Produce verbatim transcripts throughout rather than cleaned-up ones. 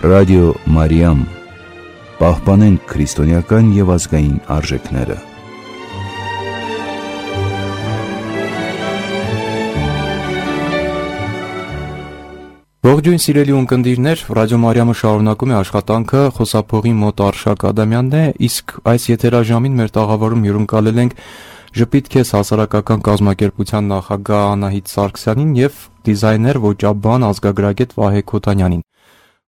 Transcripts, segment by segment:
Ռադիո Մարիամ, պահպանենք քրիստոնեական և ազգային արժեքները։ Ողջույն սիրելի ունկնդիրներ, Ռադիո Մարիամը շարունակում է աշխատանքը, խոսափողի մոտ Արշակ Ադամյանն է, իսկ այս եթերաժամին մեր տաղավարում հյուրընկալել ենք Ժպիտ քեզ հասարակական կազմակերպության նախագահ Անահիտ Սարգսյանին և դիզայներ, ոճաբան, ազգագրագետ Վահե Քոթանյանին։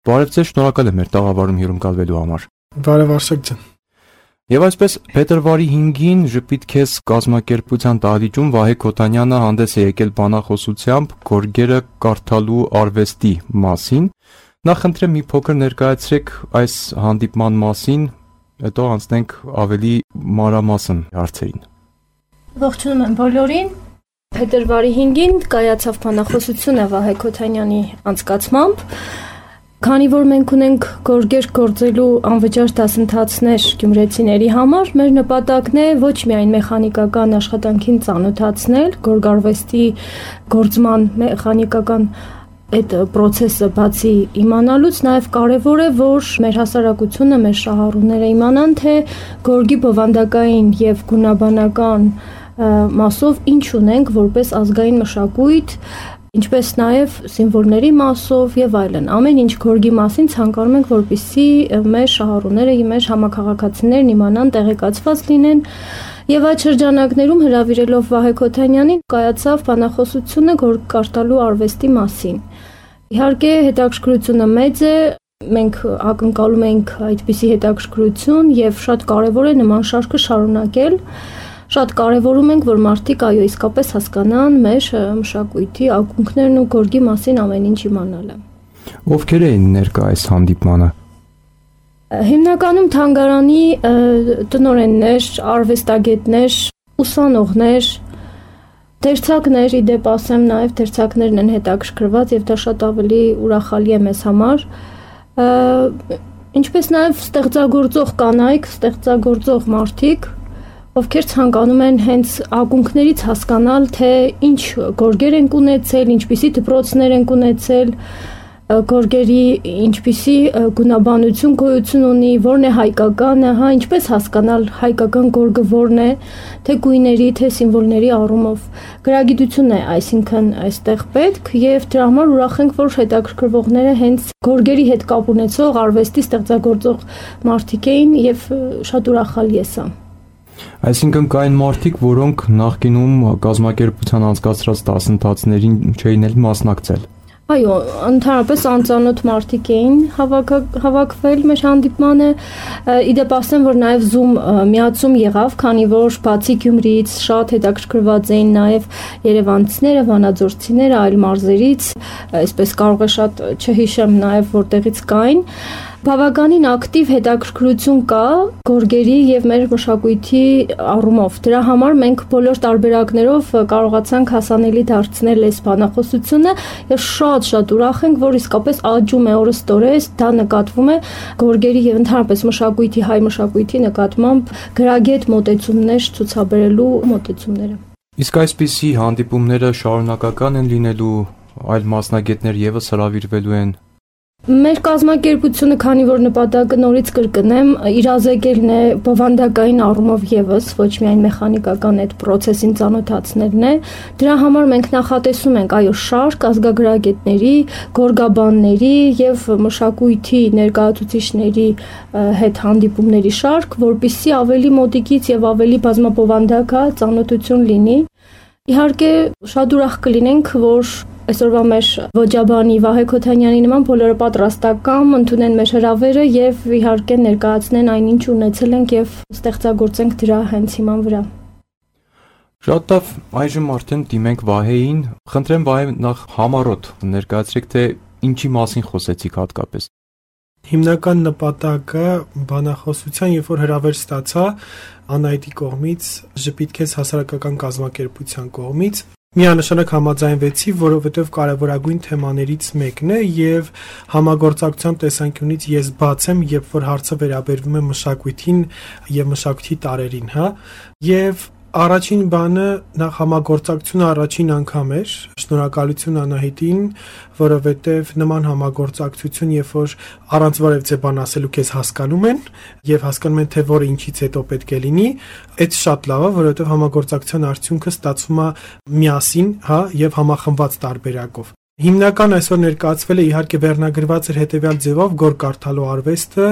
Բարև ձեզ, շնորհակալ եմ մեր տաղավարում հյուրընկալվելու համար։ Բարև Արշակ ջան։ Եվ այսպես փետրվարի հինգին Ժպիտ քեզ կազմակերպության դահլիճում Վահե Քոթանյանը հանդես է եկել բանախոսությամբ գորգերը կարդալու արվեստի մասին։ Նախ խնդրեմ մի փոքր ներկայացրեք այս հանդիպման մասին, հետո անցնենք ավելի մանրամասն հարցերին։ Ողջունում եմ բոլորին։ Փետրվարի հինգին կայացավ բանախոսությունը Վահե Քոթանյանի անցկացմամբ։ Քանի որ մենք ունենք գորգեր գործելու անվճար դասընթացներ գյումրեցիների համար, մեր նպատակն է ոչ միայն մեխանիկական աշխատանքին ծանոթացնել, գորգարվեստի գործման մեխանիկական այդ process-ը բացի իմանալուց, նաև կարևոր է, որ մեր հասարակությունը, մեր շահառուները իմանան, թե գորգի բովանդակային եւ գունաբանական մասով ինչ ունենք որպես ազգային մշակույթ, ինչպես նաև սիմվոլների մասով եւ այլն։ Ամեն ինչ գորգի մասին ցանկանում ենք, որպեսզի մեր շահառուները, մեր համաքաղաքացիներն իմանան, տեղեկացված լինեն։ Եվ այդ շրջանակներում հրավիրելով Վահե Քոթանյանին կայացավ բանախոսությունը գորգ կարդալու արվեստի մասին։ Իհարկե հետաքրքրությունը մեծ է, մենք ակնկալում ենք այդպիսի հետաքրքրություն եւ շատ կարեւոր է նման շարքը շարունակել։ Շատ կարևորում ենք, որ մարդիկ այո իսկապես հասկանան մեր մշակույթի ակունքներն ու գորգի մասին ամեն ինչ իմանալը։ Ովքեր էին ներկա այս հանդիպմանը։ Հիմնականում թանգարանի տնօրեններ, արվեստագետներ, ուսանողներ, դերձակներ, իդեպ ասեմ նաև դերձակներն են հետաքրքրված եւ դա շատ ավելի ուրախալի է մեզ համար։ Ինչպես նաև ստեղծագործող կանայք, ստեղծագործող մարդիկ, ովքեր ցանկանում են հենց ակունքներից հասկանալ, թե ինչ գորգեր են ունեցել, ինչպիսի դպրոցներ են ունեցել, գորգերի ինչպիսի գունաբանություն գոյություն ունի, որն է հայկականը, հա, ինչպես հասկանալ հայկական գորգը որն է, թե գույների, թե սիմվոլների առումով։ Գրագիտություն է, այսինքն այստեղ պետք եւ դրա համար ուրախ ենք, որ հետաքրքրվողները հենց գորգերի հետ կապ ունեցող արվեստի ստեղծագործող մարդիկ էին եւ շատ ուրախալի է սա։ Այսինքն կային մարդիկ, որոնք նախկինում կազմակերպության անցկացրած դասընթացներին չէին էլ մասնակցել։ Այո, ընդհանրապես անծանոթ մարդիկ էին հավաքվել մեր հանդիպմանը։ Իդեպ ասեմ, որ նաև Zoom միացում եղավ, քանի որ բացի Գյումրիից շատ հետաքրքրված էին նաև երևանցիները, վանաձորցիները, այլ մարզերից, այսպես կարող է շատ չհիշեմ նաև որտեղից կային։ Բավականին ակտիվ հետաքրքրություն կա գորգերի եւ մեր մշակույթի առումով։ Դրա համար մենք բոլոր տարբերակներով կարողացանք հասանելի դարձնել այս բանախոսությունը եւ շատ-շատ ուրախ ենք, որ իսկապես աճում է օրըստօրես, դա նկատվում է գորգերի եւ ընդհանրապես մշակույթի, հայ մշակույթի նկատմամբ գրագետ մոտեցումներ ցուցաբերելու մոտեցումները։ Իսկ այսպիսի հանդիպումները շարունակական են լինելու, այլ մասնագետներ եւս հրավիրվելու են։ Մեր կազմակերպությունը, քանի որ նպատակը նորից կրկնեմ, իրազեկելն է բովանդակային առումով եւս, ոչ միայն մեխանիկական այդ process-ին ծանոթացնելն է, դրա համար մենք նախատեսում ենք այո շարք ազգագրագետների, գորգաբանների եւ մշակույթի ներկայացուցիչների հետ հանդիպումների շարք, որպեսզի ավելի մոտիկից եւ ավելի բազմաբովանդակ ծանոթություն լինի։ Իհարկե շատ ուրախ կլինենք, որ այսօրվա մեր ոճաբանի Վահե Քոթանյանի նման բոլորը պատրաստական ընդունեն մեր հրավերը եւ իհարկե ներկայացնեն այնինչ ունեցել ենք եւ ստեղծագործենք դրա հենց հիման վրա։ Շատ լավ, այժմ արդեն դիմենք Վահեին։ Խնդրեմ Վահե նախ համառոտ ներկայացրեք, թե ինչի մասին խոսեցիք հատկապես։ Հիմնական նպատակը բանախոսության, երբ որ հրավեր ստացա Անահիտի կողմից, Ժպիտ քեզ հասարակական կազմակերպության կողմից, միանշանակ համաձայնվեցի, որովհետև կարևորագույն թեմաներից մեկն է եւ համագործակցության տեսանկյունից ես բաց եմ, երբ որ հարցը վերաբերվում է մշակույթին եւ մշակույթի տարերին, հա, եւ Առաջին բանը նախ համագործակցությունը առաջին անգամ էր, շնորհակալություն Անահիտին, որովհետև նման համագործակցություն, երբ որ առանց որևէ բան ասելու քեզ հասկանում են եւ հասկանում են թե որը ինչից հետո պետք է լինի, այդ շատ լավ է, որովհետև համագործակցության արդյունքը ստացվում է միասին, հա, եւ համախմբված տարբերակով։ Հիմնական այսօր ներկայացվել է իհարկե վերնագրված էր հետեւյալ ձևով գոր կարդալու արվեստը,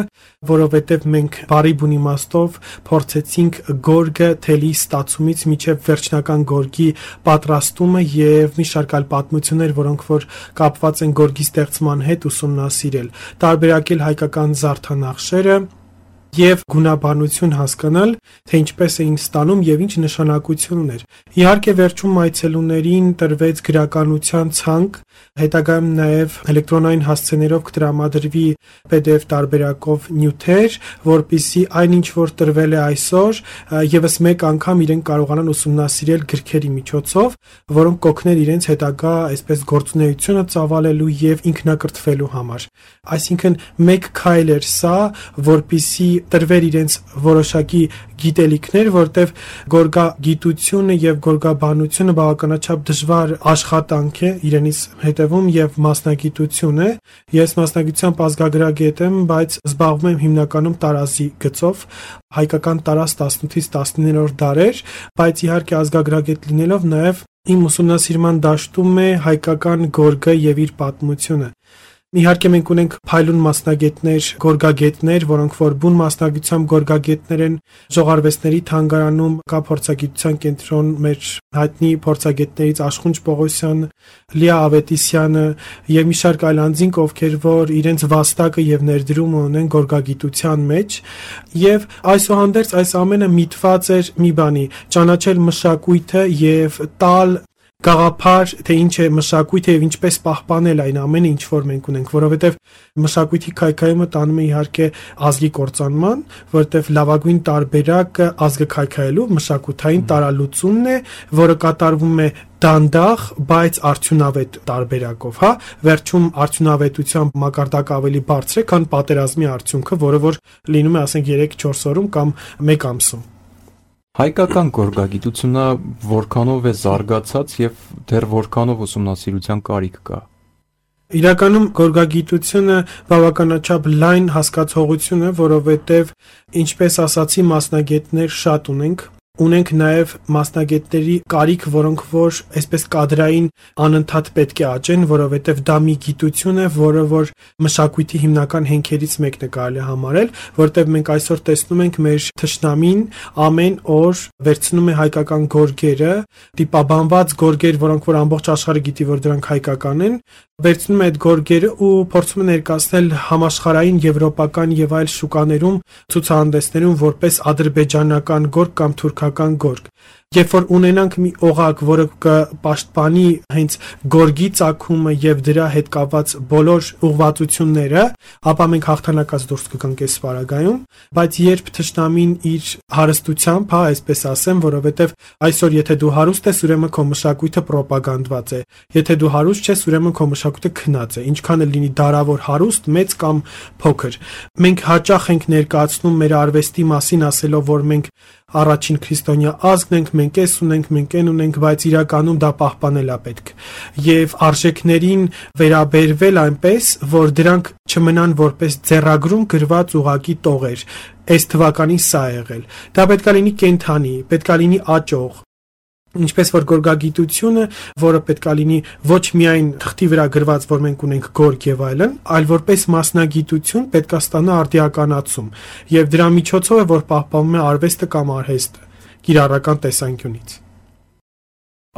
որովհետև մենք բարի բուն իմաստով փորձեցինք գորգը թելի ստացումից մինչև վերջնական գորգի պատրաստումը եւ մի շարք այլ պատմություններ, որոնք որ կապված են գորգի ստեղծման հետ ուսումնասիրել, տարբերակել հայկական զարդանախշերը եւ գունաբանություն հասկանալ, թե ինչպես էին ստանում եւ ինչ նշանակություն ուներ։ Իհարկե վերջում այցելուներին տրվեց գրականության ցանկ, հետագայում նաեւ էլեկտրոնային հասցեներով կտրամադրվի P D F տարբերակով նյութեր, որպիսի այն ինչ որ տրվել է այսօր, եւս մեկ անգամ իրեն կարողանան ուսումնասիրել գրքերի միջոցով, որոնք կօգնեն իրենց հետագա այսպես գործունեությունը ծավալելու եւ ինքնակրթվելու համար։ Այսինքն մեկ քայլ էր սա, որպիսի տրվեր իրենց որոշակի գիտելիքներ, որտեվ գորգագիտությունը եւ գորգաբանությունը բավականաչափ դժվար աշխատանք է, իրենից հետևում եւ մասնագիտություն է։ Ես մասնագիտությամբ ազգագրագետ եմ, բայց զբաղվում եմ հիմնականում տարազի գծով, հայկական տարազ տասնութից տասնիններորդ դարեր, բայց իհարկե ազգագրագետ լինելով նաեւ իմ ուսումնասիրման դաշտում է հայկական գորգը եւ իր պատմությունը։ Իհարկե մենք ունենք փայլուն մասնագետներ, գորգագետներ, որոնք որ բուն մասնագիտությամբ գորգագետներ են, ժողարվեստների թանգարանում կա փորձագիտության կենտրոն, մեր հայտնի փորձագետներից Աշխունջ Պողոսյանը, Լիա Ավետիսյանը եւ մի շարք այլ անձինք, ովքեր որ իրենց վաստակը եւ ներդրումը ունեն գորգագիտության մեջ, եւ այսուհանդերձ այս ամենը միտված էր մի բանի, ճանաչել մշակույթը եւ տալ գաղափար, թե ինչ է մշակույթը եւ ինչպես պահպանել այն ամենը, ինչ որ մենք ունենք, որովհետեւ մշակույթի քայքայումը տանում է իհարկե ազգի կործանման, որովհետեւ լավագույն տարբերակը ազգը քայքայելու մշակութային տարալուծումն է, որը կատարվում է դանդաղ, բայց արդյունավետ տարբերակով, հա, վերջում արդյունավետության մակարդակը ավելի բարձր է, քան պատերազմի արդյունքը, որը որ լինում է, ասենք երեք-չորս օրում կամ մեկ ամսում։ Հայկական գորգագիտությունը որքանով է զարգացած եւ դեռ որքանով ուսումնասիրության կարիք կա։ Իրականում գորգագիտությունը բավականաչափ լայն հասկացողություն է, որովհետեւ ինչպես ասացի, մասնագետներ շատ ունենք, ունենք նաև մասնագետների կարիք, որոնք որ այսպես կադրային անընդհատ պետք է աճեն, որովհետև դա մի գիտություն է, որը որ մշակույթի հիմնական հենքերից մեկն է կարելի համարել, որտեղ մենք այսօր տեսնում ենք մեր թշնամին ամեն օր վերցնում է հայկական գորգերը, տիպաբանված գորգեր, որոնք որ ամբողջ աշխարհը գիտի, որ դրանք հայկական են, վերցնում է այդ գորգերը ու փորձում է ներկայացնել համաշխարհային, եվրոպական եւ այլ շուկաներում, ցուցահանդեսներում որպես ադրբեջանական գորգ կամ թուրքական գորգ։ Երբ որ ունենանք մի օղակ, որը կպաշտպանի հենց գորգի ծագումը եւ դրա հետ կապված բոլոր ուղղվածությունները, ապա մենք հաղթանակած դուրս կգանք այս վարագայում, բայց երբ թշնամին իր հարստությամբ, հա, այսպես ասեմ, որովհետեւ այսօր եթե դու հարուստ ես, ուրեմն քո մշակույթը ռոպագանդված է, եթե դու հարուստ չես, ուրեմն քո մշակույթը քնած է, ինչքան էլ լինի դարավոր հարուստ, մեծ կամ փոքր։ Մենք հաճախ ենք ներկայացնում մեր արվեստի մասին ասելով, որ մենք առաջին քրիստոնյա ազգն ենք, մենք էս ունենք, մենք են ունենք, բայց իրականում դա պահպանելա պետք։ Եվ արժեքներին վերաբերվել այնպես, որ դրանք չմնան որպես ձեռագրում գրված ուղակի տողեր։ Այս թվականին սա է եղել։ Դա պետքա լինի կենդանի, պետքա լինի աճող։ Ինչպես որ գորգագիտությունը, որը պետքա լինի ոչ միայն թղթի վրա գրված, որ մենք ունենք գորգ եւ այլն, այլ որպես մասնագիտություն պետքա ստանա արդիականացում, եւ դրա միջոցով է, որ պահպանվում է արվեստը կամ արհեստը կիրառական տեսանկյունից։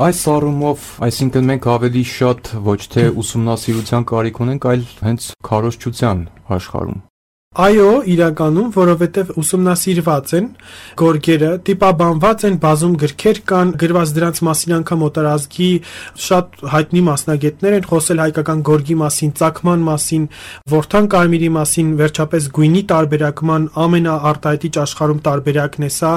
Այս առումով, այսինքն մենք ավելի շատ ոչ թե ուսումնասիրության կարիք ունենք, այլ հենց քարոզչության աշխարհում։ Այո, իրականում, որովհետև ուսումնասիրված են գորգերը, տիպաբանված են, բազում գրքեր կան, գրված դրանց մասին անգամ օտարազգի շատ հայտնի մասնագետներ են խոսել հայկական գորգի մասին, ծագման մասին, որդան կարմիրի մասին, վերջապես գույնի տարբերակման ամենաարտահայտիչ աշխարհում տարբերակն է սա,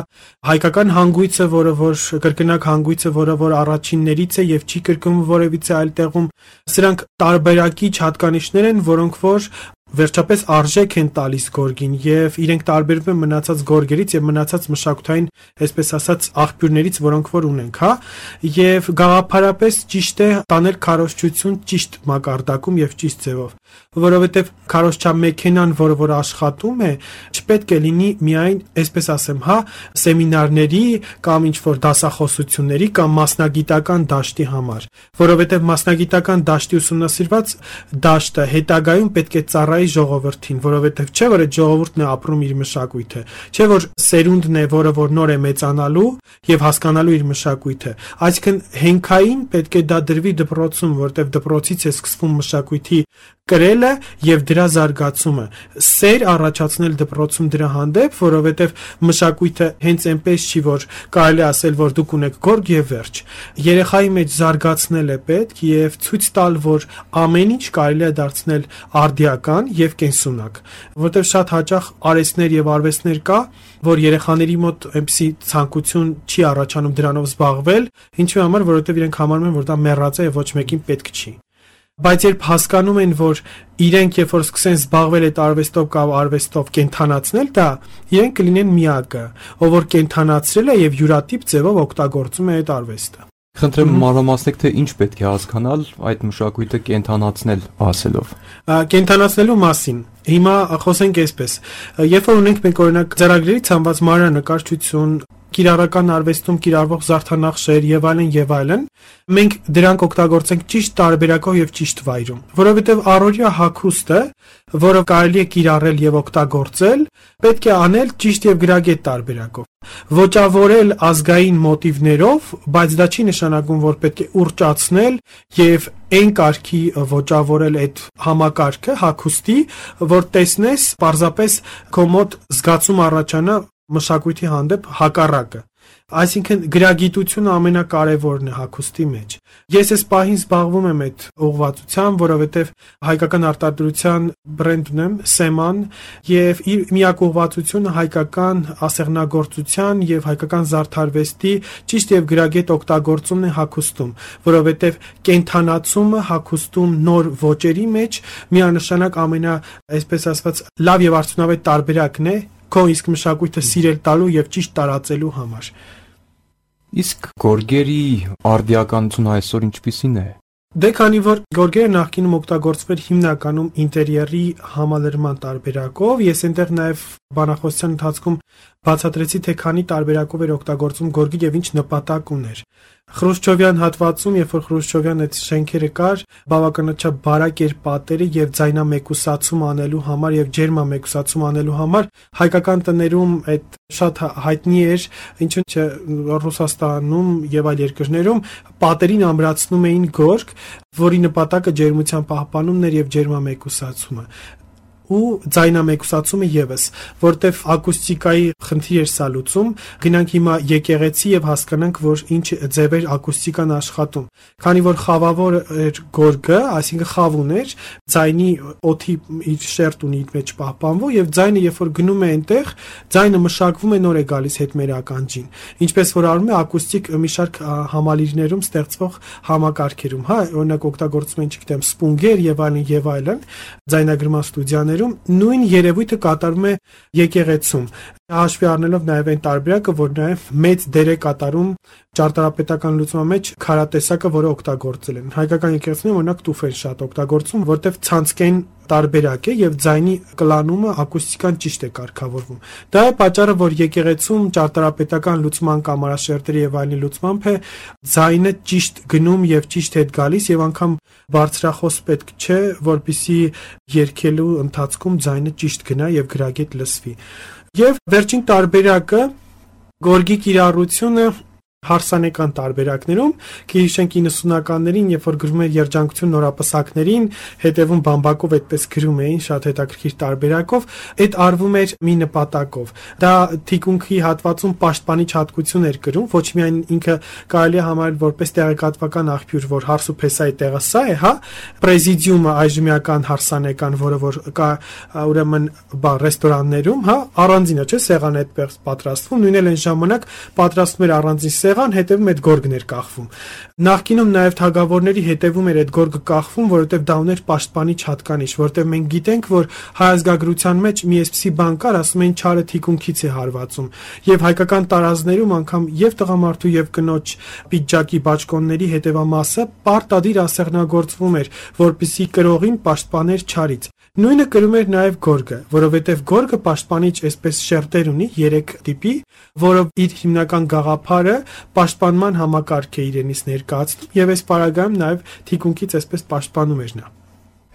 հայկական հանգույցը, որը որ կրկնակ հանգույցը, որը որ առաջիններից է եւ չի կրկնվում որևիցե այլ տեղում, սրանք տարբերակիչ հատկանիշներ են, որոնք որ վերջապես արժեք են տալիս գորգին եւ իրենք տարբերվում են մնացած գորգերից եւ մնացած մշակութային, այսպես ասած, աղբյուրներից, որոնք որ ունենք, հա, եւ գաղափարապես ճիշտ է տանել քարոզչություն ճիշտ մակարդակում եւ ճիշտ ձևով, որովհետեւ քարոզչամեքենան, որը որ աշխատում է, չպետք է լինի միայն, այսպես ասեմ, հա, սեմինարների կամ ինչ որ դասախոսությունների կամ մասնագիտական դաշտի համար, որովհետեւ մասնագիտական դաշտի ուսումնասիրված դաշտը հետագայում պետք է ծառայի ժողովրդին, որովհետև չէ որ այդ ժողովուրդն է ապրում իր մշակույթը, չէ որ սերունդն է, որը որ նոր է մեծանալու եւ հասկանալու իր մշակույթը, այսինքն հենքային պետք է դա դրվի դպրոցում, որտեղ դպրոցից է սկսվում մշակույթի կրելը եւ դրա զարգացումը, սեր առաջացնել դպրոցում դրա հանդեպ, որովհետեւ մշակույթը հենց այնպես չի, որ կարելի ասել, որ դուք ունեք գորգ եւ վերջ, երեխայի մեջ զարգացնել է պետք եւ ցույց տալ, որ ամեն ինչ կարելի է դարձնել արդիական եւ կենսունակ, որտեղ շատ հաճախ արհեստներ եւ արվեստներ կա, որ երեխաների մոտ այնպեսի ցանկություն չի առաջանում դրանով զբաղվել, ինչու համար, որովհետեւ իրենք համարում են, որ դա մեռած է եւ ոչ մեկին պետք չի։ Բայց երբ հասկանում են, որ իրենք երբ որ սկսեն զբաղվել այդ արվեստով կամ արվեստով կենթանացնել դա, իրենք կլինեն միակը, ով որ կենթանացրել է եւ յուրատիպ ձևով օգտագործում է այդ արվեստը։ Խնդրեմ մանրամասնեք, թե ինչ պետք է հասկանալ այդ մշակույթը կենթանացնել ասելով։ Կենթանացնելու մասին հիմա խոսենք այսպես, երբ որ ունենք մենք օրինակ ձեռագրերի ցանված մանրանկարչություն, կիրառական արվեստում կիրառվող զարդանախշեր եւ այլն եւ այլն, մենք դրանք օգտագործենք ճիշտ տարբերակով եւ ճիշտ վայրում, որովհետեւ առօրյա հագուստը, որը կարելի է կիրառել եւ օգտագործել, պետք է անել ճիշտ եւ գրագետ տարբերակով։ Ոճավորել ազգային մոտիվներով, բայց դա չի նշանակում, որ պետք է ուռճացնել եւ այն կարգի ոճավորել այդ համակարգը հագուստի, որ տեսնես պարզապես քո մոտ զգացում առաջանա մշակույթի հանդեպ հակառակը։ Այսինքն գրագիտությունը ամենակարևորն է հագուստի մեջ։ Ես այս պահին զբաղվում եմ այդ ուղղվածությամբ, որովհետև հայկական արտադրության բրենդ ունեմ, Սեման, եւ իր միակ ուղղվածությունը հայկական ասեղնագործության եւ հայկական զարդարվեստի ճիշտ եւ գրագետ օգտագործումն է հագուստում, որովհետև կենթանացումը հագուստում նոր ոճերի մեջ միանշանակ ամենա, այսպես ասված, լավ եւ արդյունավետ տարբերակն է քո իսկ մշակույթը սիրել տալու եւ ճիշտ տարածելու համար։ Իսկ գորգերի արդիականությունը այսօր ինչպիսին է։ Դե քանի որ գորգերը նախկինում օգտագործվել հիմնականում ինտերիերի համալրման տարբերակով, ես այնտեղ նաեւ բանախոսության ընթացքում բացատրեցի, թե քանի տարբերակով էր օգտագործում գորգը եւ ինչ նպատակ ուներ։ Խրուշչովյան հատվածում, երբ որ Խրուշչովյան այդ շենքերը կար, բավականաչափ բարակ էր պատերը եւ ձայնամեկուսացում անելու համար եւ ջերմամեկուսացում անելու համար հայկական տներում այդ շատ հայտնի էր, ինչու՞ չէ Ռուսաստանում եւ այլ երկրներում պատերին ամրացնում էին գորգ, որի նպատակը ջերմության պահպանումն էր եւ ջերմամեկուսացումը ու ձայնամեկուսացումը եւս, որտեվ ակուստիկայի խնդիր էր սա լուծում, գնանք հիմա եկեղեցի եւ հասկանանք, որ ինչ ձևեր ակուստիկան աշխատում։ Քանի որ խավավոր էր գորգը, այսինքն խավ ուներ, ձայնի օդի իր շերտ ունի իր մեջ պահպանվում եւ ձայնը երբ որ գնում է այնտեղ, ձայնը մշակվում է նոր է գալիս հետ մեր ականջին։ Ինչպես որ արվում է ակուստիկ մի շարք համալիրներում ստեղծվող համակարգերում, հա, օրինակ օգտագործում են, չգիտեմ, սպունգեր եւ այլն եւ այլն, ձայնագրման ստուդիաներ նույն երևույթը կատարվում է եկեղեցում, հաշվի առնելով նաև այն տարբերակը, որ նաև մեծ դեր է կատարում ճարտարապետական լուծման մեջ քարատեսակը, որը օգտագործել են։ Հայկական եկեղեցիներում օրինակ տուֆ են շատ օգտագործում, որտեղ ցանցկեն տարբերակ է եւ ձայնի կլանումը ակուստիկան ճիշտ է կարգավորվում։ Դա է պատճառը, որ եկեղեցում ճարտարապետական լուծման կամարաշերտերի եւ այլնի լուծմամբ է ձայնը ճիշտ գնում եւ ճիշտ հետ գալիս եւ անգամ բարձրախոս պետք չէ, որպեսզի երգելու ընթացքում ձայնը ճիշտ գնա եւ գրագետ լսվի։ Եվ վերջին տարբերակը գորգի կիրառությունը հարսանեկան տարբերակներում, գիշենք իննսունականներին, երբ որ գրում էր երջանկություն նորապսակներին, հետևում բամբակով այդպես գրում էին շատ հետաքրքիր տարբերակով, այդ արվում էր մի նպատակով։ Դա թիկունքի հատվածում պաշտպանիչ հատկություն էր կրում, ոչ միայն ինքը կարելի է համարել որպես տեղեկատվական աղբյուր, որ հարս ու փեսայի տեղը սա է, հա, պրեզիդիումը այժմյան հարսանեկան, որը որ կա ուրեմն բա ռեստորաններում, հա, առանձինը չէ, սեղան այդպես պատրաստվում, նույն էլ այն ժամանակ պատրաստում էր առանձին սեղան, հետևում այդ գորգն էր կախվում։ Նախկինում նաև թագավորների հետևում էր այդ գորգը կախվում, որովհետև դա ուներ պաշտպանիչ հատկանիշ, որովհետև մենք գիտենք, որ հայազգագրության մեջ մի այսպիսի բան կար, ասում են չարը թիկունքից է հարվածում, եւ հայկական տարազներում անգամ եւ տղամարդու եւ կնոջ պիջակի բաճկոնների հետևամասը պարտադիր ասեղնագործվում էր, որպեսզի կրողին պաշտպաներ չարից։ Նույնը կրում էր նաև գորգը, որովհետև գորգը պաշտպանիչ այսպես շերտեր ունի երեք տիպի, որը իր հիմնական գաղափարը պաշտպանման համակարգ է իրենից ներկայացնում եւ այս պարագայում նաև թիկունքից այսպես պաշտպանում էր նա։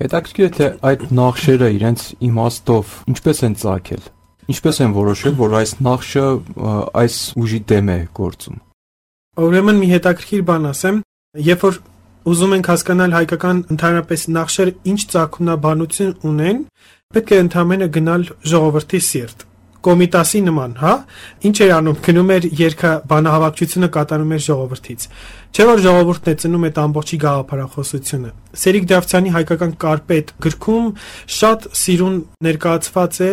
Հետաքրքիր է թե այդ նախշերը իրենց իմաստով ինչպես են ծագել։ Ինչպես են որոշել, որ այս նախշը այս ուժի դեմ է գործում։ Ուրեմն մի հետաքրքիր բան ասեմ, երբ որ ուզում ենք հասկանալ հայկական ընդհանրապես նախշերը ինչ ծագումնաբանություն ունեն, պետք է ընդհանրապես գնալ ժողովրդի սիրտ։ Կոմիտասի նման, հա, ինչ էր անում, գնում էր երգը բանահավաքչությունը կատարում էր ժողովրդից։ Չէ՞ որ ժողովուրդն է ծնում այդ ամբողջի գաղափարախոսությունը։ Սերիկ Դավթյանի հայկական կարպետ գրքում շատ սիրուն ներկայացված է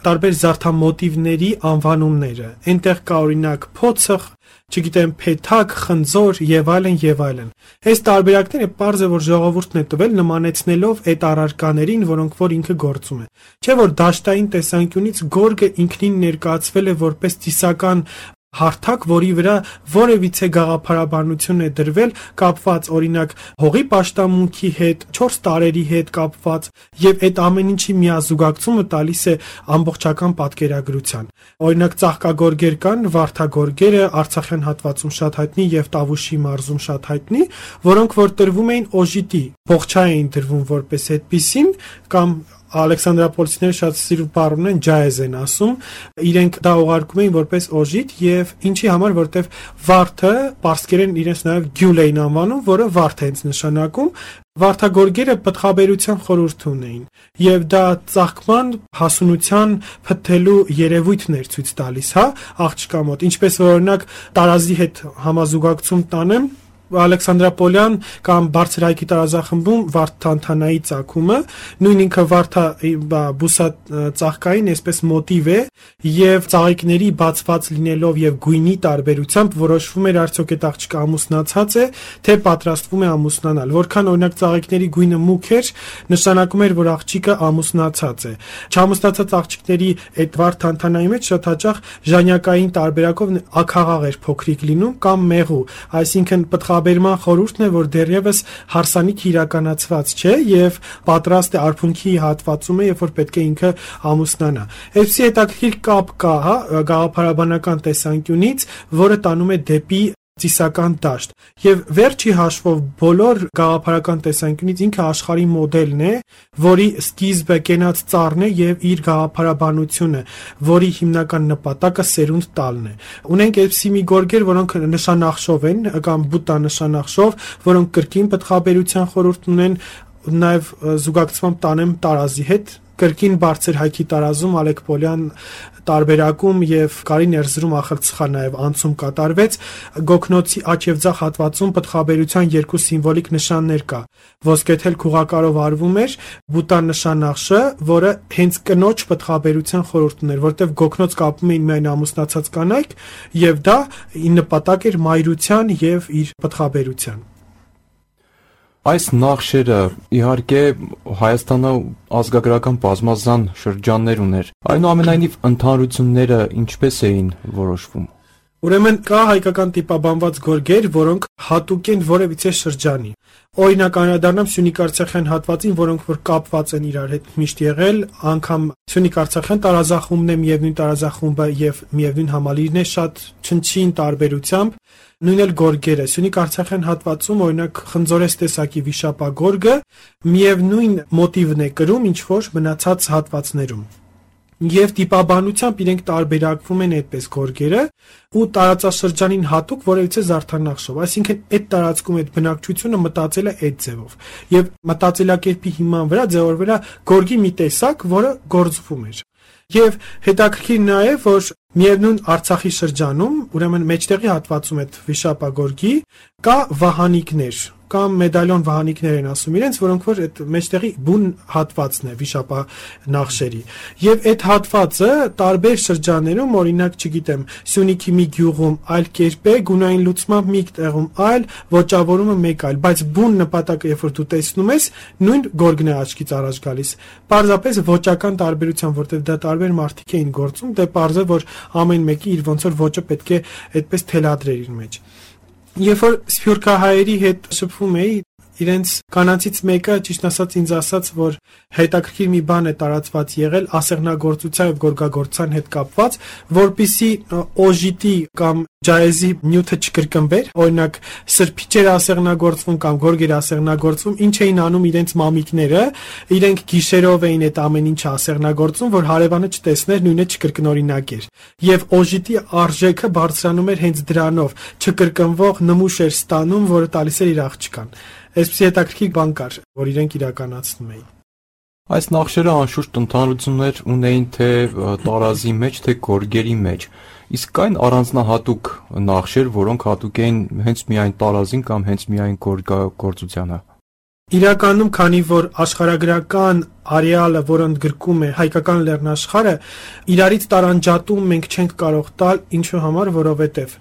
տարբեր զարդամոտիվների անվանումները։ Այնտեղ կա օրինակ փոցխ, չգիտեմ, փեթակ, խնձոր եւ այլն եւ այլն։ Այս տարբերակները պարզ է որ ժողովուրդն է տվել նմանեցնելով այդ առարկաներին, որոնք որ ինքը գործում է։ Չէ՞ որ դաշտային տեսանկյունից գորգը ինքնին ներկայացվել է որպես ծիսական հարթակ, որի վրա որևիցե գաղափարաբանություն է դրվել, կապված օրինակ հողի պաշտամունքի հետ, չորս տարերի հետ կապված, եւ այդ ամեն ինչի միազուգակցումը տալիս է ամբողջական պատկերագրության։ Օրինակ ծաղկագորգեր կան, վարդագորգերը Արցախյան հատվածում շատ հայտնի եւ Տավուշի մարզում շատ հայտնի, որոնք որ տրվում էին օժիտի, բողջա էին դրվում որպես այդպիսին կամ Ալեքսանդրապոլցիները շատ սիրուն բառ ունեն ջայզ են ասում, իրենք դա ուղարկում էին որպես օժիտ եւ ինչի համար, որտեվ վարդը պարսկերեն իրենց նաեւ գյուլ էին անվանում, որը վարդ է հենց նշանակում։ Վարդագորգերը պտղաբերության խորհուրդ ունեին եւ դա ծաղկման հասունության փթթելու երևույթներ ցույց տալիս, հա, աղջկա մոտ, ինչպես որ օրինակ տարազի հետ համազուգակցում տանեմ Ալեքսանդրապոլյան կամ բարձրայքի տարածախմբում վարդանթանայի ծագումը, նույն ինքը վարդա բուսա ծաղկային այսպես մոտիվ է եւ ծաղիկների բացված լինելով եւ գույնի տարբերությամբ որոշվում էր արդյոք այդ աղջիկը ամուսնացած է, թե պատրաստվում է ամուսնանալ։ Որքան օրինակ ծաղիկների գույնը մուգ էր, նշանակում էր, որ աղջիկը ամուսնացած է։ Չամուսնացած աղջիկների այդ վարդանթանայի մեջ շատ հաճախ ժանյակային տարբերակով ակաղաղ էր փոքրիկ լինում կամ մեղու, այսինքն Բերման խորհուրդն է, որ դեռևս հարսանիք իրականացված չէ եւ պատրաստ է արփունքի հատվածում է, երբ որ պետք է ինքը ամուսնանա։ Այսպիսի հետաքրքիր կապ կա, հա, գաղափարաբանական տեսանկյունից, որը տանում է դեպի ծիսական դաշտ։ Եվ վերջի հաշվով բոլոր գաղափարական տեսանկյունից ինքը աշխարհի մոդելն է, որի սկիզբը կենաց ծառն է եւ իր գաղափարաբանությունը, որի հիմնական նպատակը սերունդ տալն է։ Ունենք այսպիսի մի գորգեր, որոնք նշանախշով են կամ բուտա նշանախշով, որոնք կրկին պտղաբերության խորհուրդ ունեն, նաեւ զուգակցությամբ տանեմ տարազի հետ, կրկին բարձր հայքի տարազում Ալեքպոլյան տարբերակում եւ Կարի ներզրում ախրծխա նաեւ անցում կատարվեց գոգնոցի աջ եւ ձախ հատվածում պտղաբերության երկու սիմվոլիկ նշաններ կա ոսկեթել քուղակարով արվում էր բուտա նշանախշը որը հենց կնոջ պտղաբերության խորհուրդն էր որտեւ գոգնոց կապում էին միայն ամուսնացած կանայք եւ դա ի նպատակ էր մայրության եւ իր պտղաբերության Այս նախշերը իհարկե Հայաստանը ազգագրական բազմազան շրջաններ ուներ։ Այնուամենայնիվ ընդհանրությունները ինչպես էին որոշվում։ Ուրեմն կա հայկական տիպաբանված գորգեր, որոնք հատուկ են որևիցե շրջանի։ Օրինակ անդրադառնամ Սյունիք Արցախյան հատվածին, որոնք որ կապված են իրար հետ միշտ եղել, անգամ Սյունիք Արցախյան տարազախումբն է միևնույն տարազախումբը եւ միևնույն համալիրն է շատ չնչին տարբերությամբ Նույն էլ գորգերը Սյունիք Արցախյան հատվածում օրինակ խնձորես տեսակի վիշապագորգը միևնույն մոտիվն է կրում ինչ որ մնացած հատվածներում Եվ տիպաբանությամբ իրենք տարբերակվում են այդպես գորգերը ու տարածաշրջանին հատուկ որևիցե զարդանախշով, այսինքն այդ տարածքում այդ բնակչությունը մտածել է այդ ձևով եւ մտածելակերպի հիման վրա ձևավորվել է գորգի մի տեսակ, որը գործվում էր։ Եվ հետաքրքիր նաեւ որ միևնույն Արցախի շրջանում, ուրեմն մեջտեղի հատվածում այդ վիշապագորգի կա վահանիկներ, կամ մեդալյոն վահանիկներ են ասում իրենց, որոնք որ այդ մեջտեղի բուն հատվածն է վիշապանախշերի։ Եվ այդ հատվածը տարբեր շրջաններում, օրինակ, չգիտեմ, Սյունիքի մի գյուղում այլ կերպ է, գունային լուծմամբ մի տեղում այլ, ոճավորումը մեկ այլ, բայց բուն նպատակը, երբ որ դու տեսնում ես, նույն գորգն է աչքից առաջ գալիս։ Պարզապես ոճական տարբերությամբ, որտեղ դա տարբեր մարդիկ էին գործում, դե պարզ է, որ ամեն մեկի իր ոնց որ ոճը պետք է այդպես թելադրեր իր մեջ։ Երբ որ սփյուռքահայերի հետ շփվում էի, իրենց կանանցից մեկը, ճիշտ ասած, ինձ ասաց, որ հետաքրքիր մի բան է տարածված եղել ասեղնագործության եւ գորգագործության հետ կապված, որpիսի օժիտի կամ ջայզի նյութը չկրկնվեր, օրինակ սրբիչեր ասեղնագործվում կամ գորգեր ասեղնագործվում, ինչ էին անում իրենց մամիկները, իրենք գիշերով էին այդ ամեն ինչը ասեղնագործում, որ հարևանը չտեսներ, նույնը չկրկնօրինակեր։ Եվ օժիտի արժեքը բարձրանում էր հենց դրանով, չկրկնվող նմուշ էր ստանում, որը տալիս էր իր աղջկան։ Այսպեսի հետաքրքիր բան կար, որ իրենք իրականացնում էին։ Այս նախշերը անշուշտ ընդհանրություններ ունեին թե տարազի մեջ, թե գորգերի մեջ։ Իսկ կային առանձնահատուկ նախշեր, որոնք հատուկ էին հենց միայն տարազին կամ հենց միայն գորգագործությանը։ Իրականում, քանի որ աշխարհագրական արեալը, որ ընդգրկում է հայկական լեռնաշխարհը, իրարից տարանջատում մենք չենք կարող տալ, ինչու համար, որովհետև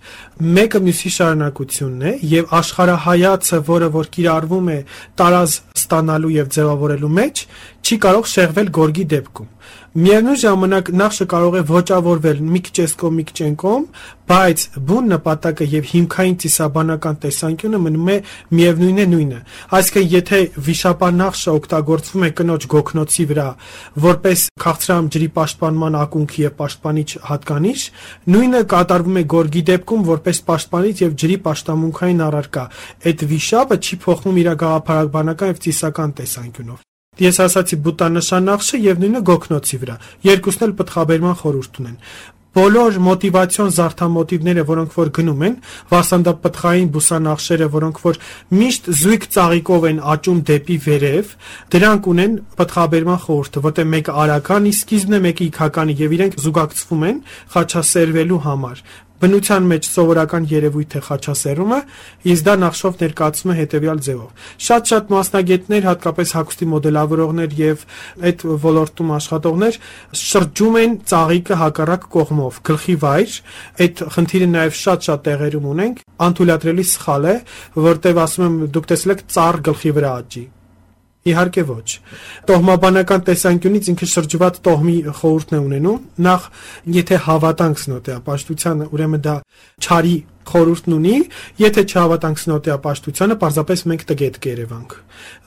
մեկը մյուսի շարունակությունն է եւ աշխարհահայացը, որը որ կիրառվում է տարազ ստանալու եւ ձևավորելու մեջ, չի կարող շեղվել գորգի դեպքում։ Միևնույն ժամանակ նախշը կարող է ոճավորվել մի քիչ էսկոմ, մի քիչ ենկոմ, բայց բուն նպատակը եւ հիմքային ծիսաբանական տեսանկյունը մնում է միևնույնն է նույնը։ Այսինքն, եթե վիշապանախշը օգտագործվում է կնոջ գոգնոցի վրա որպես քաղցրահամ ջրի պաշտպանման ակունք եւ պաշտպանիչ հատկանիշ, նույնը կատարվում է գորգի դեպքում որպես պաշտպանիչ եւ ջրի պաշտամունքային առարկա։ Այդ վիշապը չի փոխվում իր գաղափարաբանական եւ ծիսական տեսանկյունով։ Ես ասացի բուտանշան նախշը եւ նույնը գոգնոցի վրա։ Երկուսն էլ պտղաբերման խորհուրդ ունեն։ Բոլոր մոտիվացիոն զարդամոտիվները, որոնք որ գնում են, վասանդապտղային բուսանախշերը, որոնք որ միշտ զույգ ծաղիկով են աճում դեպի վերև, դրանք ունեն պտղաբերման խորհուրդը, որտեղ մեկը արական սկիզբն է, մեկը իքականի եւ իրենք զուգակցվում են խաչասերվելու համար։ Բնության մեջ սովորական երևույթ է խաչասերումը, իսկ դա նախշով ներկայացվում է հետևյալ ձևով։ Շատ-շատ մասնագետներ, հատկապես հագուստի մոդելավորողներ եւ այդ ոլորտում աշխատողներ շրջում են ծաղիկը հակառակ կողմով, գլխի վայր։ Այդ խնդիրը նաեւ շատ-շատ տեղերում ունենք, անթույլատրելի սխալ է, որտեղ ասում եմ դուք տեսել եք ծառ գլխի վրա աճի։ Իհարկե ոչ։ Տոհմաբանական տեսանկյունից ինքը շրջված տոհմի խորհուրդն է ունենում։ Նախ, եթե հավատանք սնոտիապաշտությանը, ուրեմն դա չարի խորհուրդն ունի, եթե չհավատանք սնոտիապաշտությանը, պարզապես մենք տգետ կերևանք,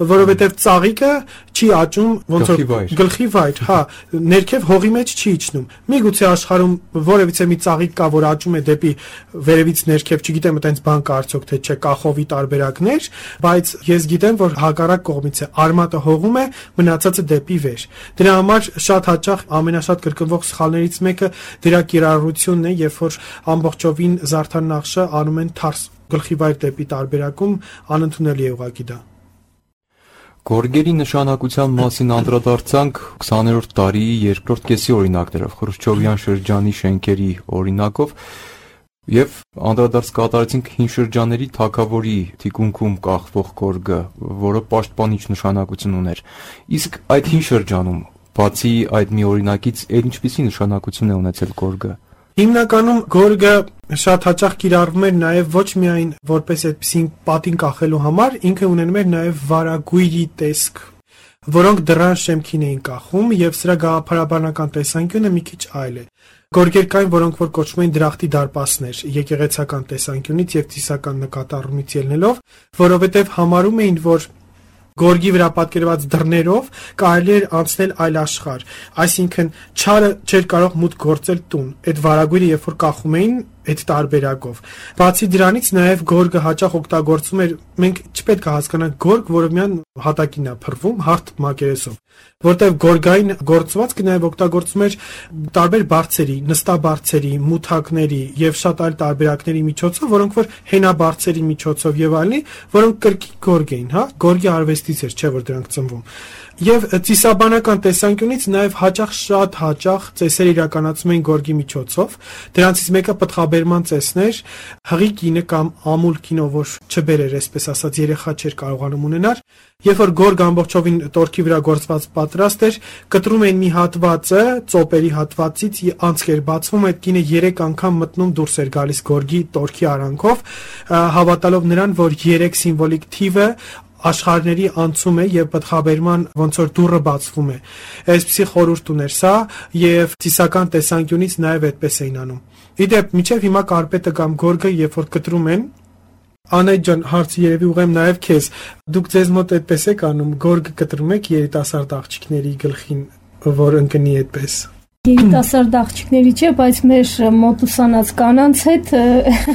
որովհետև ծաղիկը չի աճում ոնց որ գլխի վայր, հա, ներքև հողի մեջ չի իջնում։ Միգուցե աշխարհում որևիցե մի ծաղիկ կա, որ աճում է դեպի վերևից ներքև, չգիտեմ այտենց բան կա արդյոք թե չէ, կախովի տարբերակներ, բայց ես գիտեմ, որ հակառակ կողմից է, արմատը հողում է, մնացածը դեպի վեր։ Դրա համար շատ հաճախ ամենաշատ կրկնվող սխալներից մեկը դրա կիրառությունն է, երբ որ ամբողջովին զարդանախշը անում են թարս գլխի վայր դեպի տարբերակում, անընդունելի է ուղղակի դա։ Գորգերի նշանակության մասին անդրադարձանք քսաներորդ դարի երկրորդ կեսի օրինակներով, Խրուշչովյան շրջանի շենքերի օրինակով, եւ անդրադարձ կատարեցինք հին շրջանների թագավորի թիկունքում կախվող գորգը, որը պաշտպանիչ նշանակություն ուներ։ Իսկ այդ հին շրջանում, բացի այդ մի օրինակից, այլ ինչպիսի նշանակություն է ունեցել գորգը։ Հիմնականում գորգը շատ հաճախ կիրառվում էր նաև ոչ միայն որպես այդպիսին պատին կախելու համար, ինքը ունենում էր նաև վարագույրի տեսք, որոնք դռան շեմքին էին կախում եւ սրա գաղափարաբանական տեսանկյունը մի քիչ այլ է։ Գորգեր կային, որոնք որ կոչվում էին դրախտի դարպասներ, եկեղեցական տեսանկյունից եւ ծիսական նկատառումից ելնելով, որովհետեւ համարում էին, որ գորգի վրա պատկերված դռներով կարելի էր անցնել այլ աշխարհ, այսինքն չարը չէր կարող մուտք գործել տուն։ Այդ վարագույրը երբ որ կախում էին այդ տարբերակով։ Բացի դրանից նաև գորգը հաճախ օգտագործում էր, մենք չպետք է հասկանանք գորգ, որը միայն հատակին է փռվում, հարթ մակերեսով, որտեղ գորգային գործվածքը նաև օգտագործում էր տարբեր բարձերի, նստաբարձերի, մութակների եւ շատ այլ տարբերակների միջոցով, որոնք որ հենաբարձերի միջոցով եւ այլնի, որոնք կրկին գորգ էին, հա, գորգի արվեստից էր, չէ՞ որ դրանք ծնվում։ Եվ ծիսաբանական տեսանկյունից նաև հաճախ շատ հաճախ ծեսեր իրականացում էին գորգի միջոցով, դրանցից մեկը պտղաբեր բախտաբերման ծեսներ, հղի կինը կամ ամուլ կինո, որ չբերեր, այսպես ասած, երեխա չէր կարողանում ունենալ, երբ որ գորգ ամբողջովին տորքի վրա գործված պատրաստ էր, կտրում էին մի հատվածը, ծոպերի հատվածից անցք էր բացվում, այդ կինը երեք անգամ մտնում դուրս էր գալիս գորգի տորքի արանքով, հավատալով նրան, որ երեք սիմվոլիկ թիվը աշխարհների անցում է եւ պտղաբերման ոնց որ դուռը բացվում է։ Այսպիսի խորհուրդ ուներ սա եւ ծիսական տեսանկյունից նաեւ այդպես էին անում։ Իդեպ միջև հիմա կարպետը կամ գորգը երբ որ կտրում են, Անայդ ջան, հարցը երևի ուղեմ նաեւ քեզ։ Դուք ձեզ մոտ այդպես եք անում, գորգը կտրում եք երիտասարդ աղջիկների գլխին, որ ընկնի այդպես։ Երիտասարդ աղջիկների չէ, բայց մեր մոտ ուսանած կանանց հետ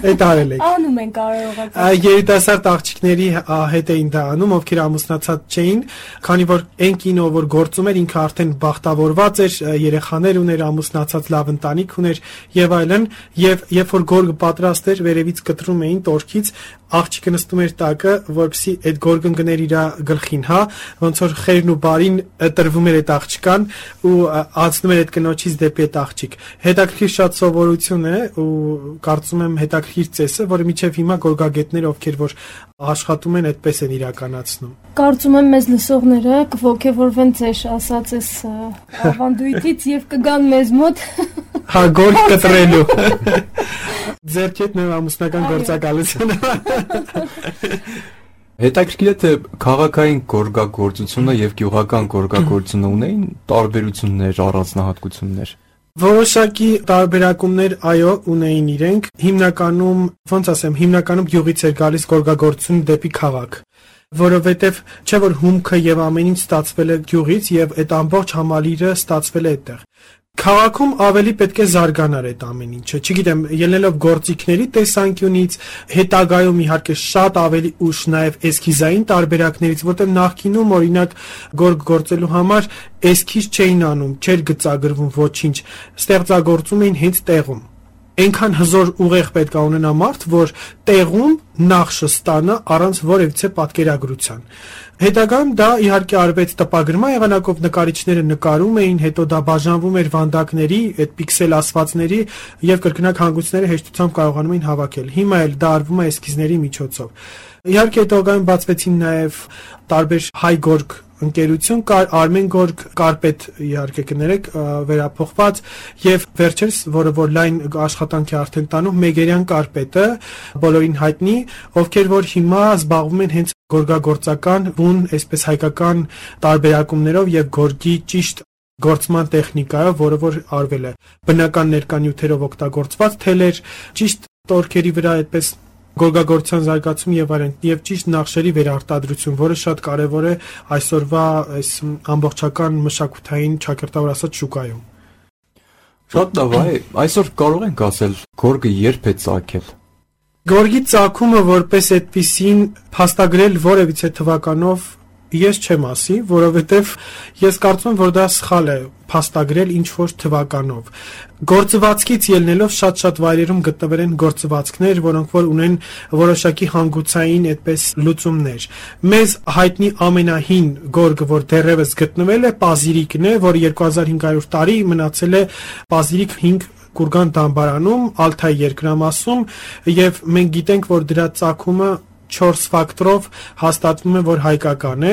այդ արել եք։ Անում են կարողական։ Երիտասարդ աղջիկների հետ էին դա անում, ովքեր ամուսնացած չէին, քանի որ այն կինո, որ գործում էր, ինքը արդեն բախտավորված էր, երեխաներ ուներ, ամուսնացած լավ ընտանիք ուներ եւ այլն, եւ երբ որ գորգը պատրաստ էր, վերևից կտրում էին տորքից, աղջիկը նստում էր տակը, որպեսզի այդ գորգը գներ իր գլխին, հա, ոնց որ խերն ու բարին տրվում էր այդ աղջկան ու անցնում էր այդ կնոջից դեպի այդ աղջիկ։ Հետաքրքիր շատ սովորություն է ու կարծում եմ հետաքրքիր ծես է, որը միջև հիմա գորգագետները, ովքեր որ աշխատում են, այդպես են իրականացնում։ Կարծում եմ մեզ լսողները կողքեվորվեն ձեր ասած էս ավանդույթից եւ կգան մեզ մոտ։ Հա, գորգ կտրելու։ Ձերքետ նոր ամուսնական գործակալությունը։ Հետաքրքիր է թե քաղաքային գորգագործությունը եւ գյուղական գորգագործությունը ունեին տարբերություններ, առանձնահատկություններ։ Որոշակի տարբերակումներ այո ունեին իրենք, հիմնականում, ոնց ասեմ, հիմնականում գյուղից էր գալիս գորգագործությունը դեպի քաղաք, որովհետև չէ որ հումքը եւ ամեն ինչ ստացվել է գյուղից եւ այդ ամբողջ համալիրը ստացվել է այդտեղ։ Քաղաքում ավելի պետք է զարգանար այդ ամեն ինչը, չգիտեմ, ելնելով գործիքների տեսանկյունից, հետագայում իհարկե շատ ավելի ուշ նաև էսքիզային տարբերակներից, որտեղ նախկինում օրինակ գորգ գործելու համար էսքիզ չէին անում, չէր գծագրվում ոչինչ, ստեղծագործում էին հենց տեղում։ Այնքան հզոր ուղեղ պետք է ունենա մարդ, որ տեղում նախշը ստանա առանց որևիցե պատկերագրության։ Հետագայում դա իհարկե արվեց տպագրման եղանակով, նկարիչները նկարում էին, հետո դա բաժանվում էր վանդակների, այդ պիքսել ասվածների եւ կրկնակ հանգույցները հեշտությամբ կարողանում էին հավաքել։ Հիմա էլ դա արվում է էսքիզների միջոցով։ Իհարկե հետագայում բացվեցին նաեւ տարբեր հայ գորգ ընկերություն կար, Արմեն գորգ, Կարպետ իհարկե կներեք, վերափոխված եւ վերջերս, որը որ լայն աշխատանքի արդեն տանում Մեգերյան Կարպետը, բոլորին հայտնի, ովքեր որ հիմա զբաղվում են հենց գորգագործական, ուն, այսպես հայկական տարբերակումներով եւ գորգի ճիշտ գործման տեխնիկայով, որը որ արվել է բնական ներկանյութերով օգտագործված թելեր, ճիշտ տորքերի վրա այդպես գորգագործության զարգացում եւ այլն եւ ճիշտ նախշերի վերարտադրություն, որը շատ կարեւոր է այսօրվա այս ամբողջական մշակութային ճակերտավոր ասած շուկայում։ Շատ լավ է, այսօր կարող ենք ասել գորգը երբ է ծագել։ Գորգի ծագումը որպես այդպիսին փաստագրել որևիցե թվականով ես չեմ ասի, որովհետև ես կարծում եմ, որ դա սխալ է փաստագրել ինչ որ թվականով։ Գործվածքից ելնելով շատ-շատ վայրերում գտնվել են գործվածքներ, որոնք որ ունեն որոշակի հանգուցային այդպես լուծումներ։ Մեզ հայտնի ամենահին գորգը, որ դեռևս գտնվել է, Պազիրիկն է, որը երկու հազար հինգ հարյուր տարի մնացել է Պազիրիկ հինգ Կուրգան դամբարանում, Ալթայ երկրամասում, եւ մենք գիտենք, որ դրա ծագումը չորս ֆակտորով հաստատվում է, որ հայկական է։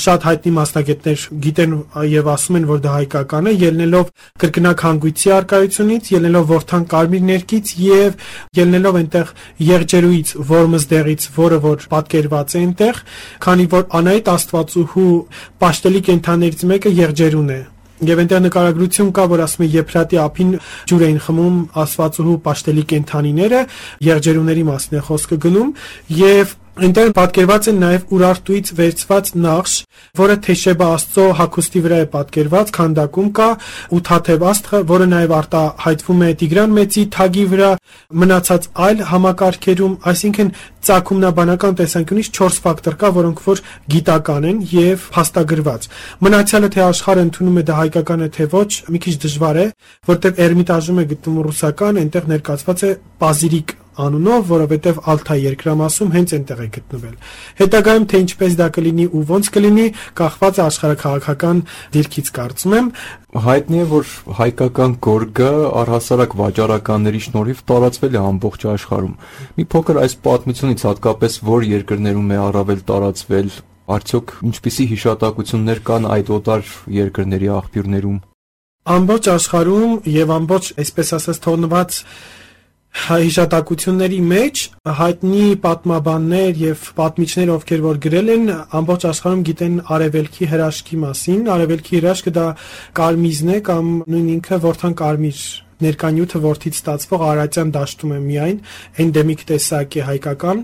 Շատ հայտնի մասնագետներ գիտեն եւ ասում են, որ դա հայկական է, ելնելով կրկնակ հանգույցի արկայությունից, ելնելով որդան կարմիր ներկից եւ ելնելով այնտեղ եղջերուից, որմզդեղից, որը որ պատկերված է այնտեղ, քանի որ Անահիտ Աստվածուհու պաշտելի կենդաններից մեկը եղջերուն է։ Եվ այնտեղ նկարագրություն կա, որ ասում է Եփրատի ափին ջուր էին խմում Աստվածուհու պաշտելի կենդանիները, եղջերուների մասին է խոսքը գնում, եւ այնտեղ պատկերված է նաև Ուրարտուից վերցված նախշ, որը Թեշեբա Աստծո հագուստի վրա է պատկերված, քանդակում կա ութաթև աստղը, որը նաև արտահայտվում է Տիգրան Մեծի թագի վրա, մնացած այլ համակարգերում, այսինքն ծագումնաբանական տեսանկյունից չորս ֆակտոր կա, որոնք որ գիտական են եւ փաստագրված։ Մնացյալը թե աշխարհը ընդունում է դա հայկական է թե ոչ, մի քիչ դժվար է, որտեղ Էրմիտաժում է գտնվում ռուսական, այնտեղ ներկայացված է Պազիրիկ անունով, որովհետև Ալթայ երկրամասում հենց այնտեղ է գտնվել։ Հետագայում թե ինչպես դա կլինի ու ոնց կլինի, կախված է աշխարհաքաղաքական դիրքից, կարծում եմ։ Հայտնի է, որ հայկական գորգը առհասարակ վաճառականների շնորհիվ տարածվել է ամբողջ աշխարհում։ Մի փոքր այս պատմությունից հատկապես որ երկրներում է առավել տարածվել, արդյոք ինչպիսի հիշատակություններ կան այդ օտար երկրների աղբյուրներում։ Ամբողջ աշխարհում եւ ամբողջ, այսպես ասած, թողնված հիշատակությունների մեջ հայտնի պատմաբաններ եւ պատմիչներ, ովքեր որ գրել են, ամբողջ աշխարհում գիտեն արևելքի հրաշքի մասին։ Արևելքի հրաշքը դա կարմիզն է կամ նույն ինքը որդան կարմիր ներկանյութը որդից ստացվող արարատյան դաշտում է միայն, էնդեմիկ տեսակ է հայկական,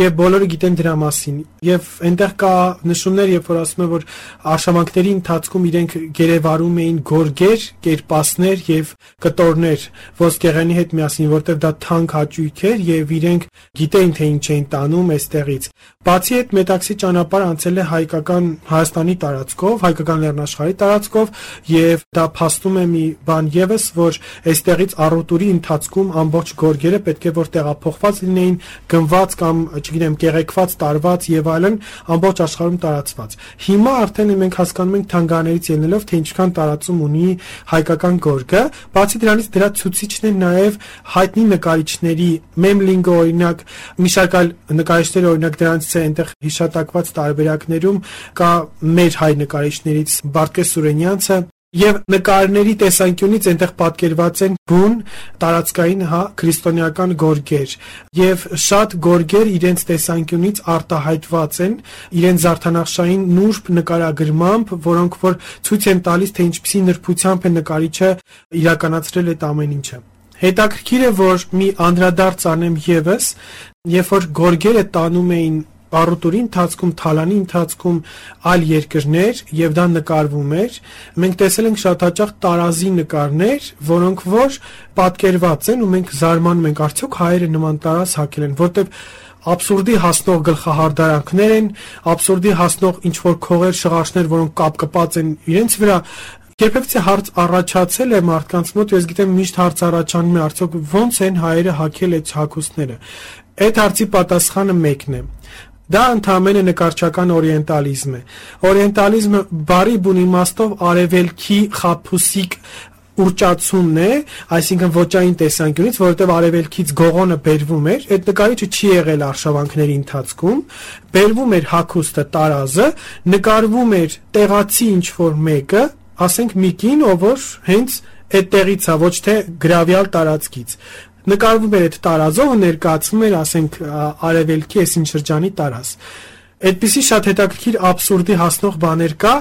եւ բոլորը գիտեն դրա մասին։ Եվ այնտեղ կա նշումներ, երբ որ ասում են, որ արշավանքների ընթացքում իրենք գերեվարում էին գորգեր, կերպասներ եւ կտորներ ոսկեղենի հետ միասին, որտեղ դա թանկ հաճույք էր եւ իրենք գիտեին, թե ինչ էին տանում այստեղից։ Բացի այդ, Մետաքսի ճանապարհ անցել է հայկական Հայաստանի տարածքով, հայկական լեռնաշխարհի տարածքով, եւ դա փաստում է մի բան եւս, որ այստեղից առուտուրի ընթացքում ամբողջ գորգերը պետք է որ տեղափոխված լինեին, գնված կամ, չգիտեմ, կեղեքված, տարված եւ այլն, ամբողջ աշխարհում տարածված։ Հիմա արդեն մենք հասկանում ենք թանգարներից ելնելով, թե ինչքան տարածում ունի հայկական գորգը, բացի դրանից դրա ցուցիչն է նաեւ հայտնի նկարիչների, Մեմլինգը օրինակ, մի շարք այլ նկարիչներ օրինակ դրանից է այնտեղ հիշատակված տարբերակներում կա մեր հայ նկարիչներից Բարտկես Սուրենյանցը եւ նկարների տեսանկյունից այնտեղ պատկերված են բուն տարածքային հա քրիստոնեական գորգեր եւ շատ գորգեր իրենց տեսանկյունից արտահայտված են իրենց զարդանախշային նուրբ նկարագրմամբ, որոնք որ ցույց են տալիս, թե ինչպիսի նրբությամբ է նկարիչը իրականացրել այդ ամեն ինչը։ Հետաքրքիր է, որ մի անդրադարձ անեմ եւս, երբ որ գորգերը տանում էին առուտուրի ընթացքում, թալանի ընթացքում այլ երկրներ եւ դա նկարվում էր, մենք տեսել ենք շատ հաճախ տարազի նկարներ, որոնք որ պատկերված են ու մենք զարմանում ենք, արդյոք հայերը նման տարազ հագել են, որտեւ աբսուրդի հասնող գլխահարդարանքներ են, աբսուրդի հասնող ինչ որ քողեր, շղարշներ, որոնք կապկպած են իրենց վրա։ Երբևէ հարց առաջացել է մարդկանց մոտ, ես գիտեմ միշտ հարց առաջանում է, արդյոք ո՞նց են հայերը հագել այդ հագուստները։ Այդ հարցի պատասխանը մեկն է։ Դա ընդհանրապես նկարչական օրիենտալիզմ է։ Օրիենտալիզմը բարի բուն իմաստով արևելքի խաբուսիկ ուրճացումն է, այսինքն ոճային տեսանկյունից, որովհետև արևելքից գողոնը բերվում էր, այդ նկարիչը չի եղել արշավանքների ընթացքում, բերվում էր հագուստը, տարազը, նկարվում էր տեղացի ինչ-որ մեկը, ասենք մի կին, ով որ հենց այդ տեղից է, ոչ թե գրավյալ տարածքից։ Նկարվում էր այդ տարազով ու ներկայացվում էր, ասենք, արևելքի այսին շրջանի տարազ։ Այդպիսի շատ հետաքրքիր աբսուրդի հասնող բաներ կա,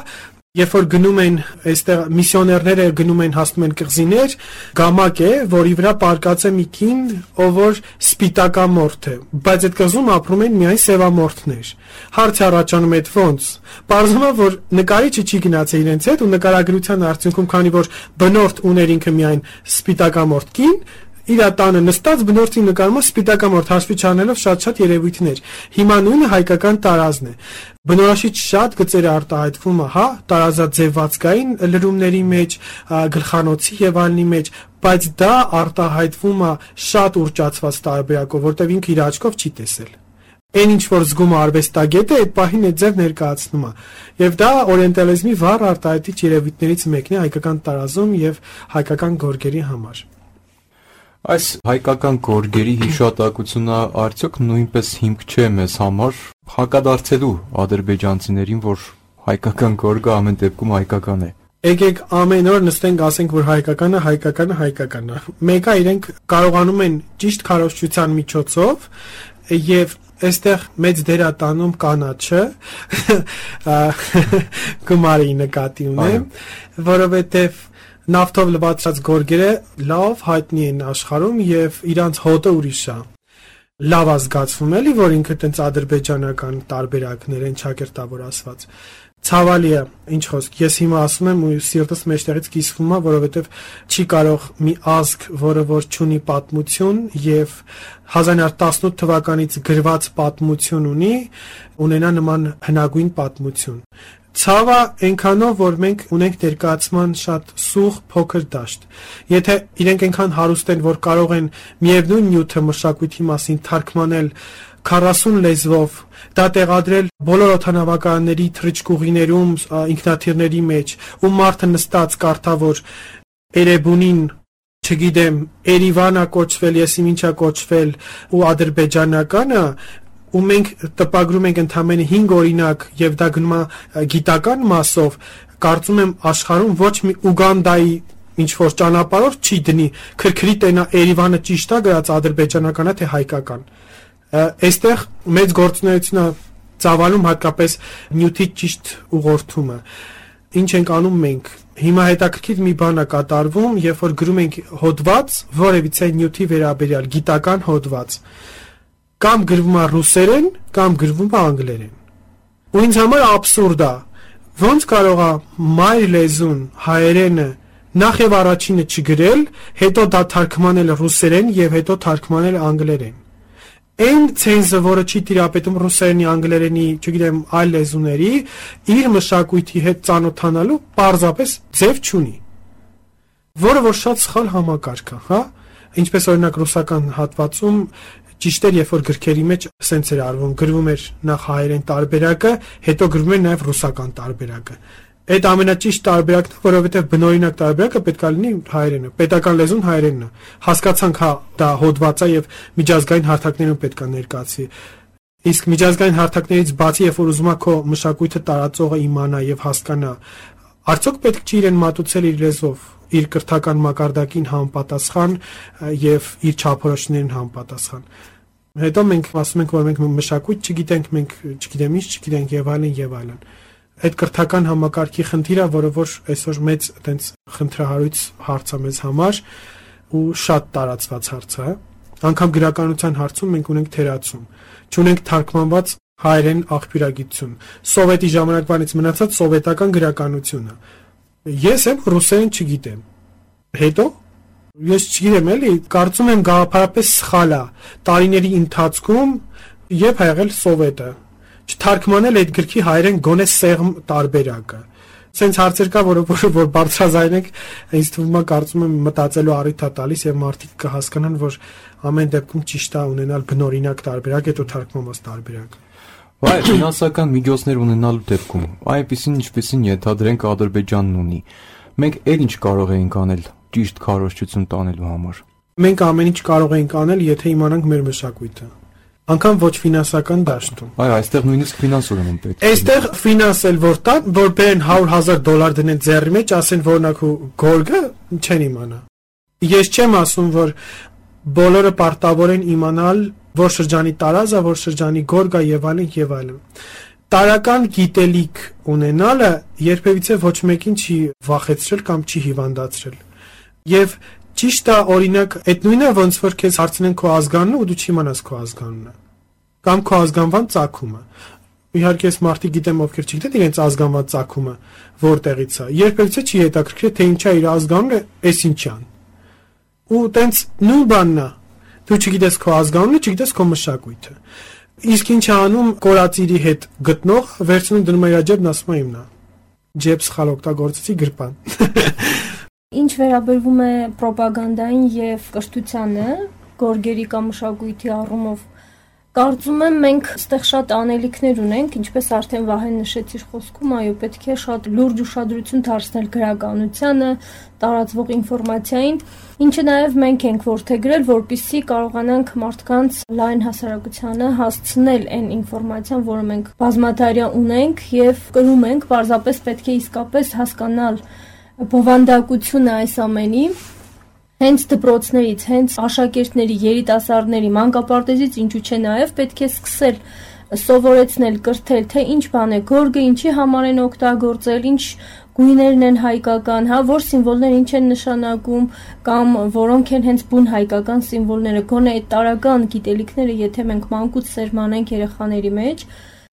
երբ որ գնում են այստեղ միսիոներները գնում են հասնում են կղզիներ, գամակ է, որի վրա պարկած է մի կին, ով որ սպիտակամորթ է, բայց այդ կղզում ապրում են միայն սևամորթներ։ Հարց առաջանում է ոնց։ Պարզվում է, որ նկարիչը չի գնացել իրենց հետ ու նկարագրության արդյունքում, քանի որ բնորդ ուներ ինքը միայն սպիտակամորթ կին, իր տանը նստած բնորդի նկարումը սպիտակամորթ հաշվի չառնելով շատ-շատ երևույթներ։ Հիմա նույնը հայկական տարազն է։ Բնորոշիչ շատ գծեր արտահայտվում է, հա, տարազաձևվածքային լրումների մեջ, գլխանոցի եւ այլնի մեջ, բայց դա արտահայտվում է շատ ուրճացված տարբերակով, որտեղ ինքը իր աչքով չի տեսել։ Այն ինչ որ զգում է արվեստագետը, այդ պահին այդ ձև ներկայացնում է։ Եվ դա օրիենտալիզմի վառ արտահայտիչ երևույթներից մեկն է հայկական տարազում եւ հայկական գորգերի համար։ Այս հայկական գորգերի հիշատակությունը արդյոք նույնպես հիմք չէ մեզ համար հակադարձելու ադրբեջանցիներին, որ հայկական գորգը ամեն դեպքում հայկական է։ Եկեք ամեն օր նստենք, ասենք, որ հայկականը, հայկականը, հայկականն է։ Մեկը իրենք կարողանում են ճիշտ քարոզչության միջոցով եւ այստեղ մեծ դեր է տանում կանաչը, գումարի նկատի ունեմ, որովհետեւ նավթով լվացած գորգերը լավ հայտնի են աշխարհում եւ իրանց հոտը ուրիշ է։ Լավ ազգացվում էլի, որ ինքը տենց ադրբեջանական տարբերակներ են ճակերտավոր ասված։ Ցավալի է, ինչ խոսք, ես հիմա ասում եմ ու սիրտս մեջտեղից կիսվում է, որովհետև չի կարող մի ազգ, որը որ չունի պատմություն եւ հազար իննսուն տասնութ թվականից գրված պատմություն ունի, ունենա նման հնագույն պատմություն։ Ցավը այնքանով, որ մենք ունենք ներկայացման շատ սուղ փոքր դաշտ։ Եթե իրենք այնքան հարուստ են, որ կարող են միևնույն նյութը մշակույթի մասին թարգմանել քառասուն լեզվով, դա տեղադրել բոլոր օդանավակայանների թռիչքուղիներում, ինքնաթիռների մեջ, ու մարդը նստած կարդա, որ Էրեբունին, չգիտեմ, Երևանա կոչվել, եսի ինչա կոչվել, ու ադրբեջանականը, ու մենք տպագրում ենք ընդամենը հինգ օրինակ եւ դա գնում է գիտական մասով, կարծում եմ աշխարհում ոչ մի Ուգանդայի ինչ որ ճանապարհով չի դնի քրքրի տենա Երևանը ճիշտ է գրած ադրբեջանական է թե հայկական։ Այստեղ մեծ գործունեություն է ծավալում հատկապես նյութի ճիշտ ուղղորդումը։ Ինչ ենք անում մենք։ Հիմա հետաքրքիր մի բան է կատարվում, երբ որ գրում ենք հոդված, որևիցե նյութի վերաբերյալ գիտական հոդված, կամ գրվում է ռուսերեն, կամ գրվում է անգլերեն։ Ու ինձ համար աբսուրդ է, ոնց կարող է մայր լեզուն հայերենը նախ եւ առաջինը չգրել, հետո դա թարգմանել ռուսերեն եւ հետո թարգմանել անգլերեն։ Այն ցենզը, որը չի տիրապետում ռուսերենի, անգլերենի, չգիտեմ, այլ լեզուների, իր մշակույթի հետ ծանոթանալու պարզապես ձև չունի, որը որ շատ սխալ համակարգ է, հա։ Ինչպես օրինակ ռուսական հատվածում ճիշտ էր, երբ որ գրքերի մեջ սենց էր արվում, գրվում էր նախ հայերեն տարբերակը, հետո գրվում էր նաև ռուսական տարբերակը։ Այդ ամենաճիշտ տարբերակն է, որովհետև բնօրինակ տարբերակը պետք է լինի հայերենը, պետական լեզուն հայերենն է։ Հասկացանք, հա, դա հոդված է եւ միջազգային հարթակներում պետք է ներկայացվի։ Իսկ միջազգային հարթակներից բացի, երբ որ ուզում է քո մշակույթը տարածողը իմանա եւ հասկանա, արդյոք պետք չի իրեն մատուցել իր լեզվով, իր կրթական մակարդակին համապատասխան եւ իր չափորոշիչներին համապատասխան։ Հետո մենք ասում ենք, որ մենք մշակույթ չգիտենք, մենք չգիտեմ ինչ չգիտենք եւ այլն եւ այլն։ Այդ կրթական համակարգի խնդիրը, որը որ այսօր մեծ այտենց խնդրահարույց հարց է մեզ համար ու շատ տարածված հարց է։ Անկամ գրականության հարցում մենք ունենք թերացում, չունենք թարգմանված հայերեն աղբյուրագիտություն, սովետի ժամանակվանից մնացած սովետական գրականությունը։ Ես եմ ռուսերեն չգիտեմ։ Հետո ես չգիտեմ էլի, կարծում եմ գաղափարապես սխալ է տարիների ընթացքում եւ եղել սովետը չթարգմանել այդ գրքի հայերեն գոնե սեղմ տարբերակը։ Սենց հարցեր կա, որը որ, որ բարձրաձայնենք, ինձ թվում է կարծում եմ մտածելու առիթ է տալիս եւ մարդիկ կհասկանան, որ ամեն դեպքում ճիշտ է ունենալ բնօրինակ տարբերակ, հետո թարգմանված տարբերակ։ Վայ, ֆինանսական միջոցներ ունենալու դեպքում, այնպեսին ինչպեսին ենթադրենք Ադրբեջանն ունի, մենք էլ ինչ կարող էինք անել ճիշտ քարոզչություն տանելու համար։ Մենք ամեն ինչ կարող էինք անել, եթե իմանանք մեր մշակույթը։ Անկամ ոչ ֆինանսական դաշտում։ Այո, այստեղ նույնիսկ ֆինանս ուրեմն պետք է։ Այստեղ ֆինանս էլ որ տան, որ բերեն հարյուր հազար դոլար դնեն ձեռի մեջ, ասեն որնակ ու գորգը չեն իմանա։ Ես չեմ ասում, որ բոլորը պարտավոր են իմանալ, որ շրջանի տարազը, որ շրջանի գորգը եւ այլն եւ այլն։ Տարական գիտելիք ունենալը երբևիցե ոչ մեկին չի վախեցրել կամ չի հիվանդացրել։ Եվ ճիշտ է, օրինակ, այդ նույնը ոնց որ քեզ հարցնեն քո ազգանունը ու դու չիմանաս քո ազգանունը կամ քո ազգանվան ծագումը։ Իհարկե, ես մարդիկ գիտեմ, ովքեր չգիտեն իրենց ազգանվան ծագումը որտեղից է։ Երբևիցե չի հետաքրքրել, թե ինչա իր ազգանունը, էս ինչան։ Ու տենց նույն բանն է։ Դու չգիտես քո ազգանունը, չգիտես քո մշակույթը։ Իսկ ինչ անում կորածիրի հետ գտնող, վերցնում դնում է իր ջեբն, ասում է իմն է։ Ջեբ սխալ օգտագործեցի գրպան։ Ինչ վերաբերվում է պրոպագանդային եւ կրթությանը, գորգերի կամ մշակույթի առումով, կարծում եմ մենք այստեղ շատ անելիքներ ունենք, ինչպես արդեն Վահեն նշեց իր խոսքում, այո, պետք է շատ լուրջ ուշադրություն դարձնել գրականությանը, տարածվող ինֆորմացիային, ինչը նաեւ մենք ենք որդեգրել, որպեսզի կարողանանք մարդկանց լայն հասարակությանը հասցնել այն ինֆորմացիան, որը մենք բազմատարյա ունենք եւ կրում ենք, պարզապես պետք է իսկապես հասկանալ բովանդակությունը այս ամենի, հենց դպրոցներից, հենց աշակերտների, երիտասարդների, մանկապարտեզից ինչու չէ նաև պետք է սկսել սովորեցնել, կրթել, թե ինչ բան է գորգը, ինչի համար են օգտագործել, ինչ գույներն են հայկական, հա, որ սիմվոլներ ինչ են նշանակում կամ որոնք են հենց բուն հայկական սիմվոլները, գոնե այդ տարական գիտելիքները, եթե մենք մանկուց սերմանենք երեխաների մեջ,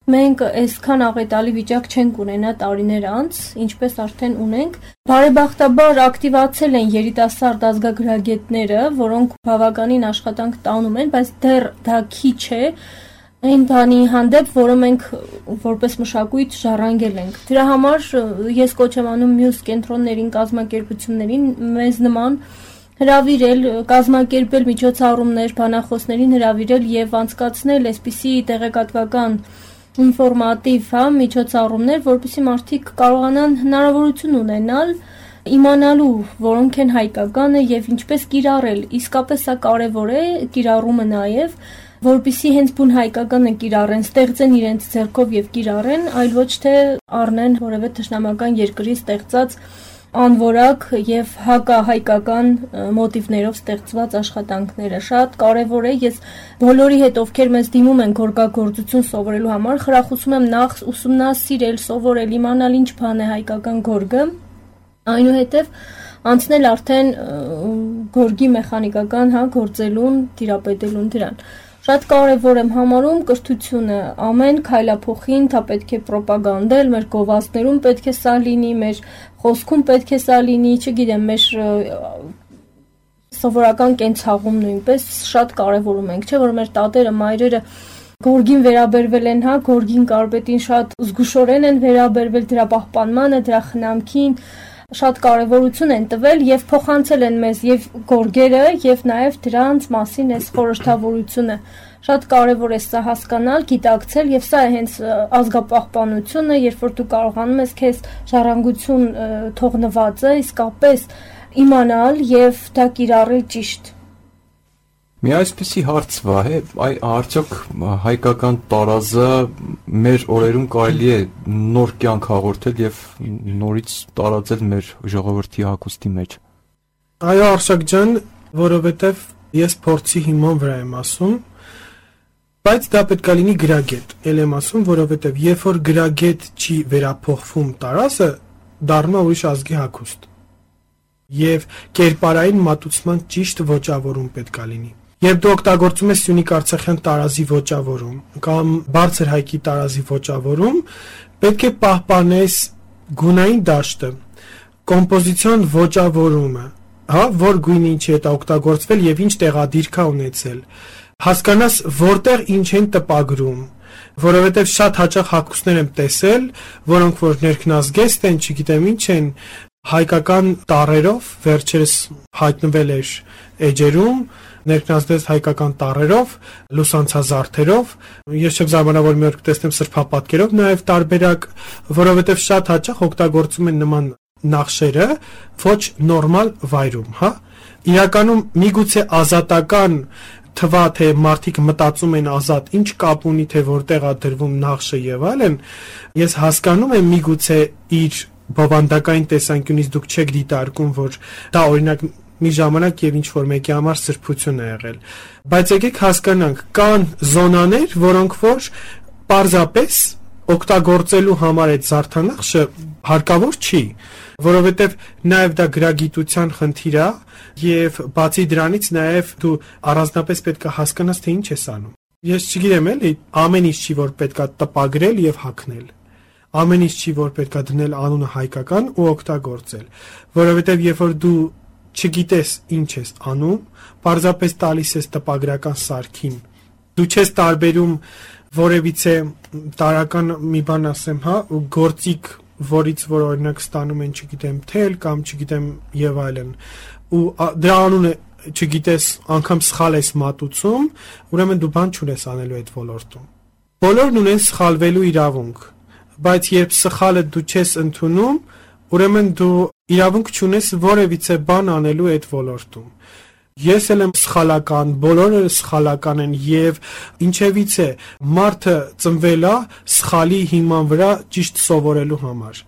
մենք այսքան աղետալի վիճակ չենք ունենա տարիներ անց, ինչպես արդեն ունենք։ Բարեբախտաբար ակտիվացել են երիտասարդ ազգագրագետները, որոնք բավականին աշխատանք տանում են, բայց դեռ դա քիչ է, Այն բանի հանդեպ, որը մենք որպես մշակույթ ժառանգել ենք։ Դրա համար ես կոչ եմ անում մյուս կենտրոններին, կազմակերպություններին մեզ նման հրավիրել, կազմակերպել միջոցառումներ, բանախոսներին հրավիրել եւ անցկացնել այսպիսի տեղեկատվական ինֆորմատիվ, հա, միջոցառումներ, որպեսզի մարդիկ կարողանան հնարավորություն ունենալ իմանալու, որոնք են հայկականը եւ ինչպես կիրառել։ Իսկապես սա կարեւոր է, կիրառումը նաեւ, որպեսզի հենց բուն հայկականը կիրառեն, ստեղծեն իրենց ձեռքով եւ կիրառեն, այլ ոչ թե առնեն որևէ թշնամական երկրի ստեղծած անորակ եւ հակահայկական մոտիվներով ստեղծված աշխատանքները։ Շատ կարեւոր է, ես բոլորի հետ, ովքեր մեզ դիմում են գորգագործություն սովորելու համար, խրախուսում եմ նախ ուսումնասիրել, սովորել, իմանալ ինչ բան է հայկական գորգը, այնուհետև անցնել արդեն գորգի մեխանիկական, հա, գործելուն, տիրապետելուն դրան։ Շատ կարևոր եմ համարում կրթությունը, ամեն քայլափոխին դա պետք է պրոպագանդել, մեր գովազդներում պետք է սա լինի, մեր խոսքում պետք է սա լինի, չգիտեմ, մեր սովորական կենցաղում նույնպես շատ կարևորում ենք, չէ՞ որ մեր տատերը, մայրերը գորգին վերաբերվել են, հա, գորգին կարպետին շատ զգուշորեն են վերաբերվել, դրա պահպանմանը, դրա խնամքին շատ կարևորություն են տվել եւ փոխանցել են մեզ եւ գորգերը եւ նաեւ դրանց մասին այս խորհրդավորությունը։ Շատ կարևոր է սա հասկանալ, գիտակցել եւ սա է հենց ազգապահպանությունը, երբ որ դու կարողանում ես քեզ ժառանգություն թողնվածը իսկապես իմանալ եւ դա կիրառել ճիշտ։ Մի այսպիսի հարց վահե, այ արդյոք հայկական տարազը մեր օրերում կարելի է նոր կյանք հաղորդել եւ նորից տարածել մեր ժողովրդի հագուստի մեջ։ Այո, Արշակ ջան, որովհետեւ ես փորձի հիման վրա եմ ասում, բայց դա պետք է լինի գրագետ։ Էլ եմ ասում, որովհետեւ երբ որ գրագետ չի վերափոխվում տարազը, դառնում է ուրիշ ազգի հագուստ։ Եվ կերպարային մատուցման ճիշտ ոճավորում պետք է լինի։ Երբ դու օգտագործում ես Սյունիք Արցախյան տարազի ոճավորում կամ բարձր հայկի տարազի ոճավորում, պետք է պահպանես գունային դաշտը, կոմպոզիցիոն ոճավորումը, հա, որ գույնի ինչի հետ օգտագործվել եւ ինչ տեղադիրք է ունեցել։ Հասկանաս որտեղ ինչ են տպագրում, որովհետեւ շատ հաճախ հագուստներ եմ տեսել, որոնք որ ներքնազգեստ են, չգիտեմ ինչ են, հայկական տառերով, վերջերս հայտնվել էր էջերում, ներքնազգեստ հայկական տառերով, լուսանցազարդերով, ես չեմ զարմանա, որ մի օր կտեսնեմ սրբապատկերով, նաև տարբերակ, որովհետև շատ հաճախ օգտագործում են նման նախշերը ոչ նորմալ վայրում, հա։ Իրականում միգուցե ազատական թվա թե մարդիկ մտածում են ազատ, ինչ կապ ունի թե որտեղ է դրվում նախշը եւ այլն, ես հասկանում եմ միգուցե իր բովանդակային տեսանկյունից դուք չեք դիտարկում, որ դա օրինակ մի ժամանակ եւ ինչ որ մեկի համար սրբություն է եղել, բայց եկեք հասկանանք, կան զոնաներ, որոնք որ պարզապես օգտագործելու համար այդ զարդանախշը հարկավոր չի, որովհետեւ նաեւ դա գրագիտության խնդիր է եւ բացի դրանից նաեւ դու առանձնապես պետք է հասկանաս թե ինչ ես անում։ Ես չգիտեմ էլի, ամեն ինչ չի որ պետք է տպագրել եւ հագնել։ Ամեն ինչ չի որ պետք է դնել անունը հայկական ու օգտագործել, որովհետեւ երբ որ դու չգիտես ինչ ես անում, պարզապես տալիս ես տպագրական սարքին։ Դու չես տարբերում որևիցե տարական մի բան ասեմ, հա, գործիք, որից որ օրինակ ստանում են, չգիտեմ, թել կամ չգիտեմ եւ այլն, ու դրա անունը չգիտես, անգամ սխալ ես մատուցում, ուրեմն դու բան չունես անելու այդ ոլորտում։ Բոլորն ունեն սխալվելու իրավունք, բայց երբ սխալը դու չես ընդունում, ուրեմն դու իրավունք չունես որևիցե բան անելու այդ ոլորտում։ Ես էլ եմ սխալական, բոլորը սխալական են եւ ինչևից է մարդը ծնվել է սխալի հիման վրա ճիշտ սովորելու համար։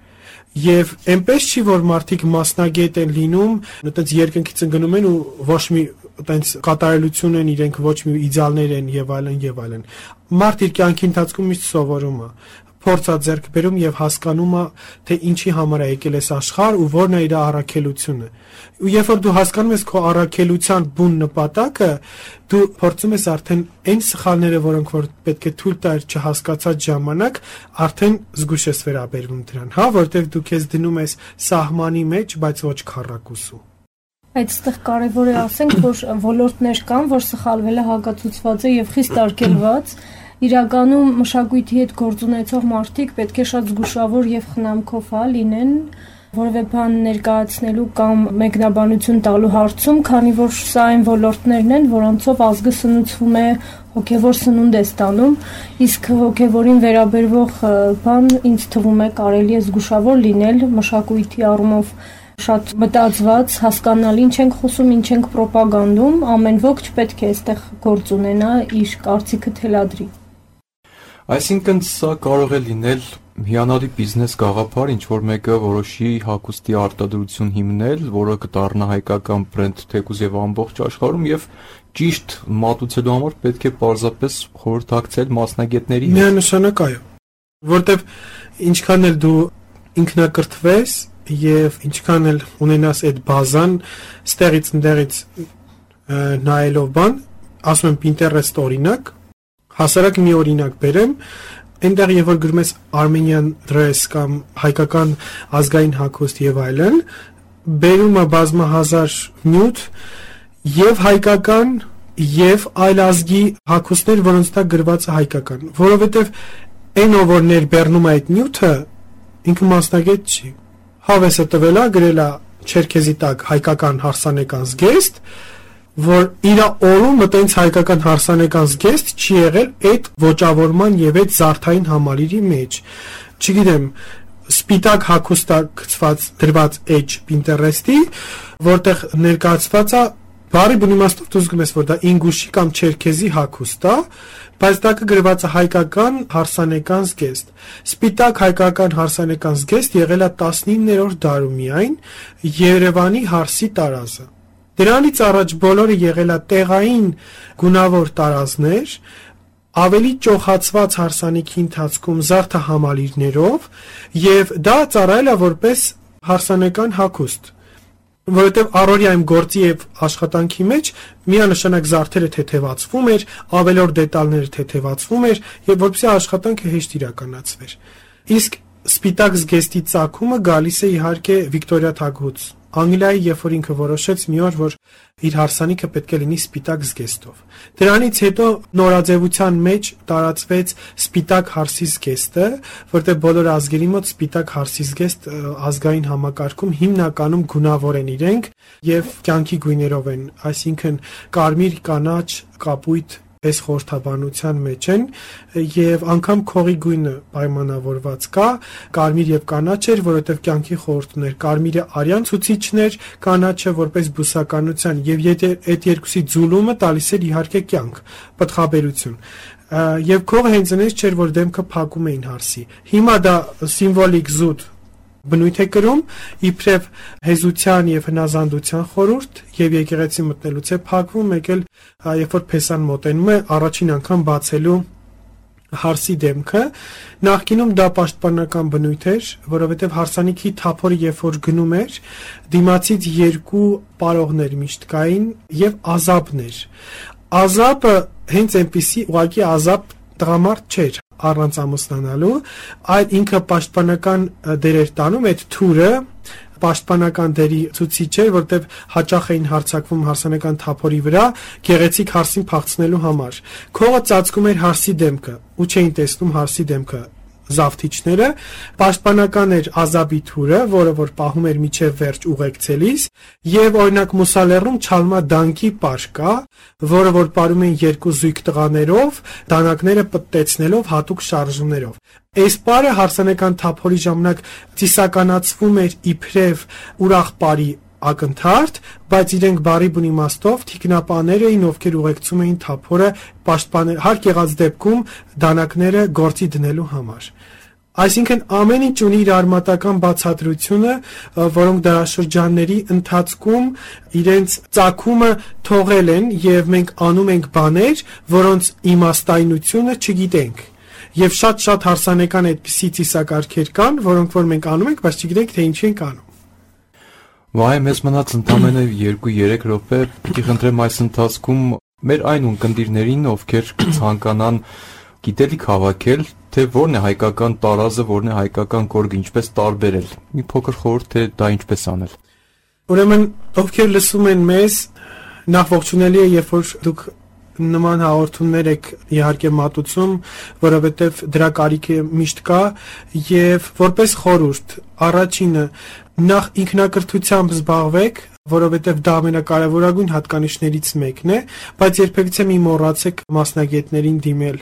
Եվ այնպես չի որ մարդիկ մասնագետ են լինում, այտենց երկնքից ընկնում են ու ոչ մի այտենց կատարելություն են իրենք, ոչ մի իդեալներ են եւ այլն եւ այլն։ Մարդ իր կյանքի ընթացքում միշտ սովորում է, փորձա ձեռք բերում եւ հասկանում է թե ինչի համար է եկել այս աշխարհ ու որն է իր առաքելությունը։ Ու երբ որ դու հասկանում ես քո առաքելության բուն նպատակը, դու փորձում ես արդեն այն սխալները, որոնք որ պետք է թույլ տալ չհասկացած ժամանակ, արդեն զգուշ ես վերաբերվում դրան, հա, որտեղ դու քեզ դնում ես սահմանի մեջ, բայց ոչ քառակուսու։ Այդտեղ կարևոր է ասենք, որ ոլորտներ կան, որ սխալվելը հակացուցված է եւ խիստ արգելված։ իրականում մշակույթի հետ գործ ունեցող մարդիկ պետք է շատ զգուշավոր եւ խնամքով հա լինեն որևէ բան ներկայացնելու կամ մեկնաբանություն տալու հարցում, քանի որ սա այն ոլորտներն են, որոնցով ազգը սնուցվում է, հոգևոր սնունդ է ստանում, իսկ հոգևորին վերաբերվող բան ինձ թվում է կարելի է զգուշավոր լինել մշակույթի առումով շատ մտածված, հասկանալ ինչ ենք խոսում, ինչ ենք պրոպագանդում, ամեն ոք չպետք է այստեղ գործ ունենա իր կարծիքը թելադրի։ Այսինքն սա կարող է լինել հիանալի բիզնես գաղափար, ինչ որ մեկը որոշի հագուստի արտադրություն հիմնել, որը կդառնա հայկական բրենդ թեկուզ եւ ամբողջ աշխարհում եւ ճիշտ մատուցելու համար պետք է պարզապես խորհրդակցել մասնագետների հետ։ Միանշանակ այո, որտեվ ինչքան էլ դու ինքնակրթվես եւ ինչքան էլ ունենաս այդ բազան, ստեղից ընդեղից նայելով բան, ասում եմ Pinterest օրինակ, հասարակ մի օրինակ բերեմ, այնտեղ երբ որ գրում ես Armenian dress կամ հայկական ազգային հագուստ եւ այլն, բերում է բազմահազար նյութ եւ հայկական եւ այլ ազգի հագուստներ, որոնց տակ գրված է հայկական, որովհետեւ այն ով որ ներբեռնում է այդ նյութը, ինքը մասնագետ չի։ Հավեսը տվել է, գրել է չերքեզի տակ հայկական հարսանեկան զգեստ, որ իր օրում մտենց հայկական հարսանեկան զգեստ չի եղել այդ ոճավորման եւ այդ զարդային համալիրի մեջ։ Չգիտեմ, սպիտակ հագուստա գծված դրված edge Pinterest-ի, որտեղ ներկայացված է բարի բնիմաստով դու զգում ես, որ դա ինգուշի կամ չերքեզի հագուստ է, բայց դա գրված է հայկական հարսանեկան զգեստ։ Սպիտակ հայկական հարսանեկան զգեստ եղել է տասնիններորդ դարում միայն Երևանի հարսի տարազը։ Դրանից առաջ բոլորը եղել է տեղային գունավոր տարազներ, ավելի ճոխացված հարսանիքի ընթացքում զարդը համալիրներով եւ դա ծառայել է որպես հարսանեկան հագուստ, որովհետեւ առօրյա իմ գործի եւ աշխատանքի մեջ միանշանակ զարդերը թեթևացվում էր, ավելորդ դետալները թեթևացվում էր եւ որպեսզի աշխատանքը հեշտ իրականացվեր։ Իսկ սպիտակ զգեստի ծագումը գալիս է իհարկե Վիկտորիա Թագուց Անգլիայի, երբ որ ինքը որոշեց մի օր, որ իր հարսանիքը պետք է լինի սպիտակ զգեստով։ Դրանից հետո նորաձևության մեջ տարածվեց սպիտակ հարսի զգեստը, որտեղ բոլոր ազգերի մոտ սպիտակ հարսի զգեստ ազգային համակարգում հիմնականում գունավոր են իրենք եւ կյանքի գույներով են, այսինքն կարմիր, կանաչ, կապույտ այս խորհրդաբանության մեջ են եւ անգամ քողի գույնը պայմանավորված կա, կարմիր եւ կանաչ էր, որովհետեւ կյանքի խորհուրդներ, կարմիրը արյան ցուցիչներ, կանաչը որպես բուսականության եւ եթե այդ երկուսի ձուլումը տալիս էր իհարկե կյանք, պտղաբերություն։ Եվ քողը հենց այնպես չէր, որ դեմքը փակում էին հարսի։ Հիմա դա սիմվոլիկ զուտ բնույթ է կրում, իբրև հեզության եւ հնազանդության խորհուրդ եւ եկեղեցի մտնելուց է փակվում, մեկ էլ երբ որ փեսան մոտենում է առաջին անգամ բացելու հարսի դեմքը, նախկինում դա պաշտպանական բնույթ էր, որովհետեւ հարսանիքի թափորը երբ որ գնում էր, դիմացից երկու պարողներ միշտ կային եւ ազապներ։ Ազապը հենց այնպիսի ուղղակի ազապ տղամարդ չէր առանց ամուսնանալու, այլ ինքը պաշտպանական դեր էր տանում, այդ թուրը պաշտպանական դերի ցուցիչ էր, որտեղ հաճախ էին հարձակվում հարսանեկան թափորի վրա գեղեցիկ հարսին փախցնելու համար։ Քողը ծածկում էր հարսի դեմքը, ու չէին տեսնում հարսի դեմքը զավթիչները, պաշտպանական էր ազաբի թուրը, որը որ պահում էր միջև վերջ ուղեկցելիս, եւ օրինակ Մուսալեռում Չալմա դանկի պար կա, որը որ ապարում են երկու զույգ տղաներով, դանակները պտտեցնելով հատուկ շարժումներով։ Այս պարը հարսանեկան թափորի ժամանակ ծիսականացվում էր իբրև ուրախ պարի ակնթարթ, բայց իրենք բարի բուն իմաստով թիկնապաներ էին, ովքեր ուղեկցում էին թափորը պաշտպանել, հարկ եղած դեպքում դանակները գործի դնելու համար։ Այսինքն ամեն ինչ ունի իր արմատական բացատրությունը, որոնք դարաշրջանների ընթացքում իրենց ծագումը թողել են եւ մենք անում ենք բաներ, որոնց իմաստայնությունը չգիտենք։ Եվ շատ-շատ հարսանեկան այդպիսի ծիսակարգեր կան, որոնք որ մենք անում ենք, բայց չգիտենք թե ինչ ենք անում։ Վայ, մեզ մնաց ընդամենը երկու-երեք րոպե, պիտի խնդրեմ այս ընթացքում մեր այն ունկնդիրներին, ովքեր ցանկանան գիտելիք հավաքել, թե որն է հայկական տարազը, որն է հայկական գորգը, ինչպես տարբերել։ Մի փոքր խորհուրդ թե դա ինչպես անել։ Ուրեմն, ովքեր լսում են մեզ, նախ ողջունելի է, երբ որ դուք նման հաղորդումներ եք իհարկե մատուցում, որովհետև դրա կարիքը միշտ կա եւ որպես խորհուրդ առաջինը նախ ինքնակրթությամբ զբաղվեք, որովհետև դա ամենակարևորագույն հատկանիշներից մեկն է, բայց երբևիցե մի մոռացեք մասնագետներին դիմել,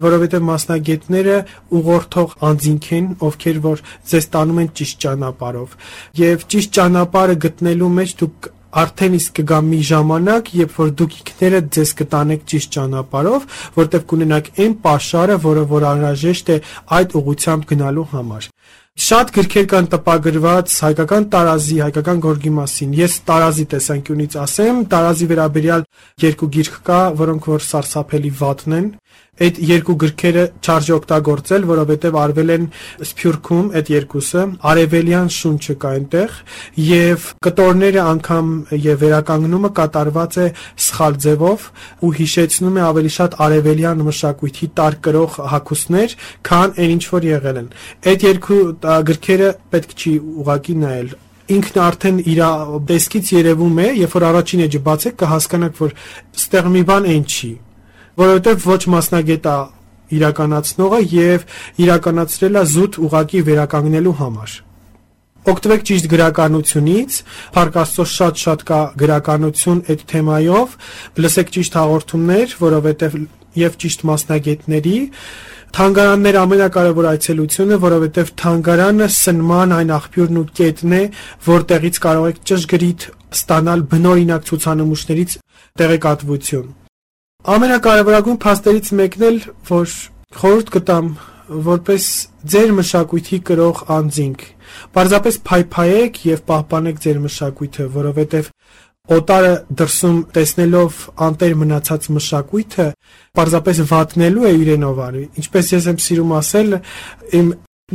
որովհետև մասնագետները ուղղորդող անձինք են, ովքեր որ ձեզ տանում են ճիշտ ճանապարհով, եւ ճիշտ ճանապարհը գտնելու մեջ դուք արդեն իսկ կգա մի ժամանակ, երբ որ դուք ինքներդ ձեզ կտանեք ճիշտ ճանապարհով, որտեղ կունենաք այն պաշարը, որը որ անհրաժեշտ է այդ ուղղությամբ գնալու համար։ Շատ գրքեր կան տպագրված հայկական տարազի, հայկական գորգի մասին։ Ես տարազի տեսանկյունից ասեմ, տարազի վերաբերյալ երկու գիրք կա, որոնք որ սարսափելի վատն են։ Այդ երկու գրքերը չարժե օգտագործել, որովհետև արվել են Սփյուռքում այդ երկուսը, արևելյան շունչը կա այնտեղ, եւ կտորները անգամ եւ վերականգնումը կատարված է սխալ ձևով ու հիշեցնում է ավելի շատ արևելյան մշակույթի տար կրող հագուստներ, քան այն ինչ որ եղել են։ Այդ երկու գրքերը պետք չի ուղակի նայել։ Ինքն արդեն իր տեսքից երևում է, երբ որ առաջին էջը բացեք, կհասկանաք, որ ստեղ մի բան այն չի, որովհետև ոչ մասնագետ է իրականացնողը եւ իրականացրել է զուտ ուղակի վերականգնելու համար։ Օգտվեք ճիշտ գրականությունից, Փառք Աստծո շատ-շատ կա գրականություն այդ թեմայով, լսեք ճիշտ հաղորդումներ, որովհետև եւ ճիշտ մասնագետների Թանգարաններ ամենակարևոր այցելությունը, որովհետև թանգարանը սնման այն աղբյուրն ու կետն է, որտեղից կարող եք ճշգրիտ ստանալ բնօրինակ ցուցանմուշներից տեղեկատվություն։ Ամենակարևորագույն փաստերից մեկն էլ, որ խորհուրդ կտամ, որպես ձեր մշակույթի կրող անձինք, պարզապես փայփայեք եւ պահպանեք ձեր մշակույթը, որովհետև օտարը դրսում տեսնելով անտեր մնացած մշակույթը պարզապես վատնելու է իրենով անի։ Ինչպես ես եմ սիրում ասել, իմ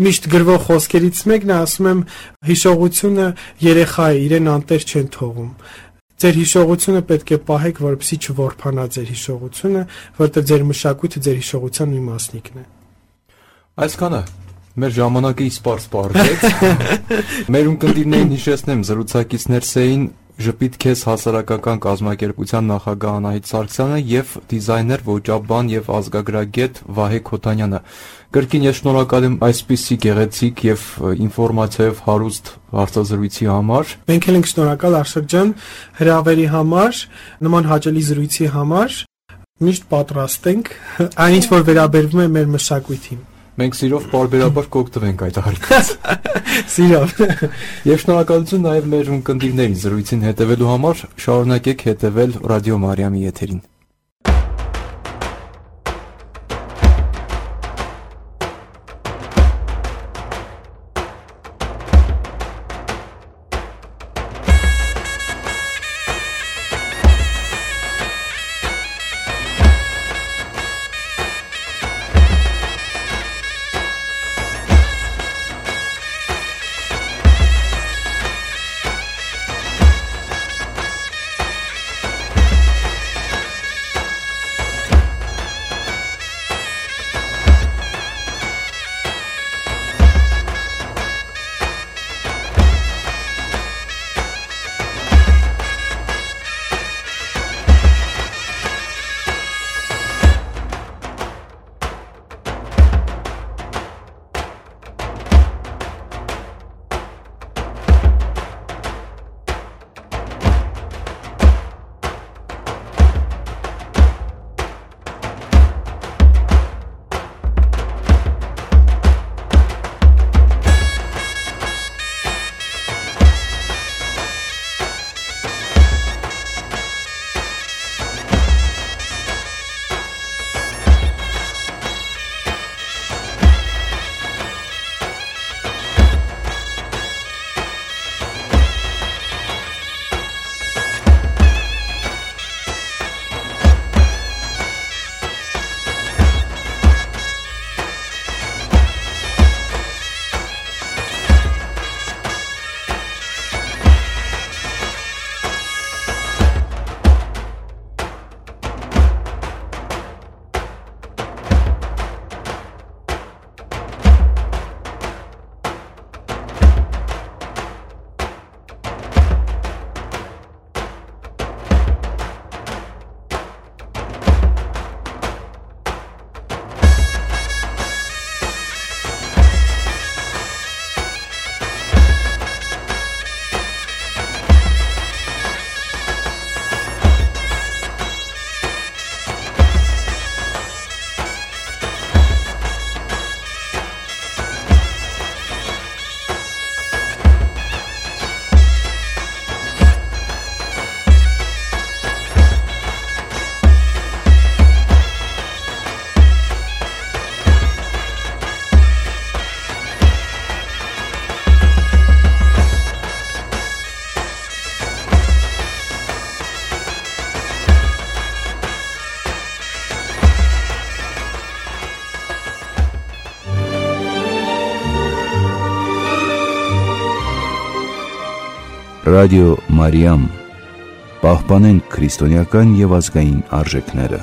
միշտ գրվող խոսքերից մեկն է, ասում եմ, հիշողությունը երեխա է, իրեն անտեր չեն թողում։ Ձեր հիշողությունը պետք է պահեք, որպեսզի չորփանա ձեր հիշողությունը, որտեղ ձեր մշակույթը ձեր հիշողության մի մասնիկն է։ Այսքանը մեր ժամանակը իսպար սպառվեց։ Մեր ունկնդիրներին հիշեցնեմ, զրուցակիցներ էին Ժպիտ քեզ հասարակական կազմակերպության նախագահ Անահիտ Սարգսյանը եւ դիզայներ, ոճաբան եւ ազգագրագետ Վահե Քոթանյանը։ Կրկին ես շնորհակալ եմ այսպիսի գեղեցիկ եւ ինֆորմացիայով հարուստ հարցազրույցի համար։ Մենք էլ ենք շնորհակալ Արշակ ջան հրավերի համար, նման հաճելի զրույցի համար։ Միշտ պատրաստ ենք, այնինչ որ վերաբերվում է մեր մշակույթին։ Մենք սիրով պարբերաբար կօգտվենք այդ արկից։ Սիրով։ Եվ շնորհակալություն նաև մեր ունկնդիրներին զրույցին հետևելու համար, շարունակեք հետևել Ռադիո Մարիամի եթերին։ Ռադիո Մարիամ, պահպանենք քրիստոնեական եւ ազգային արժեքները։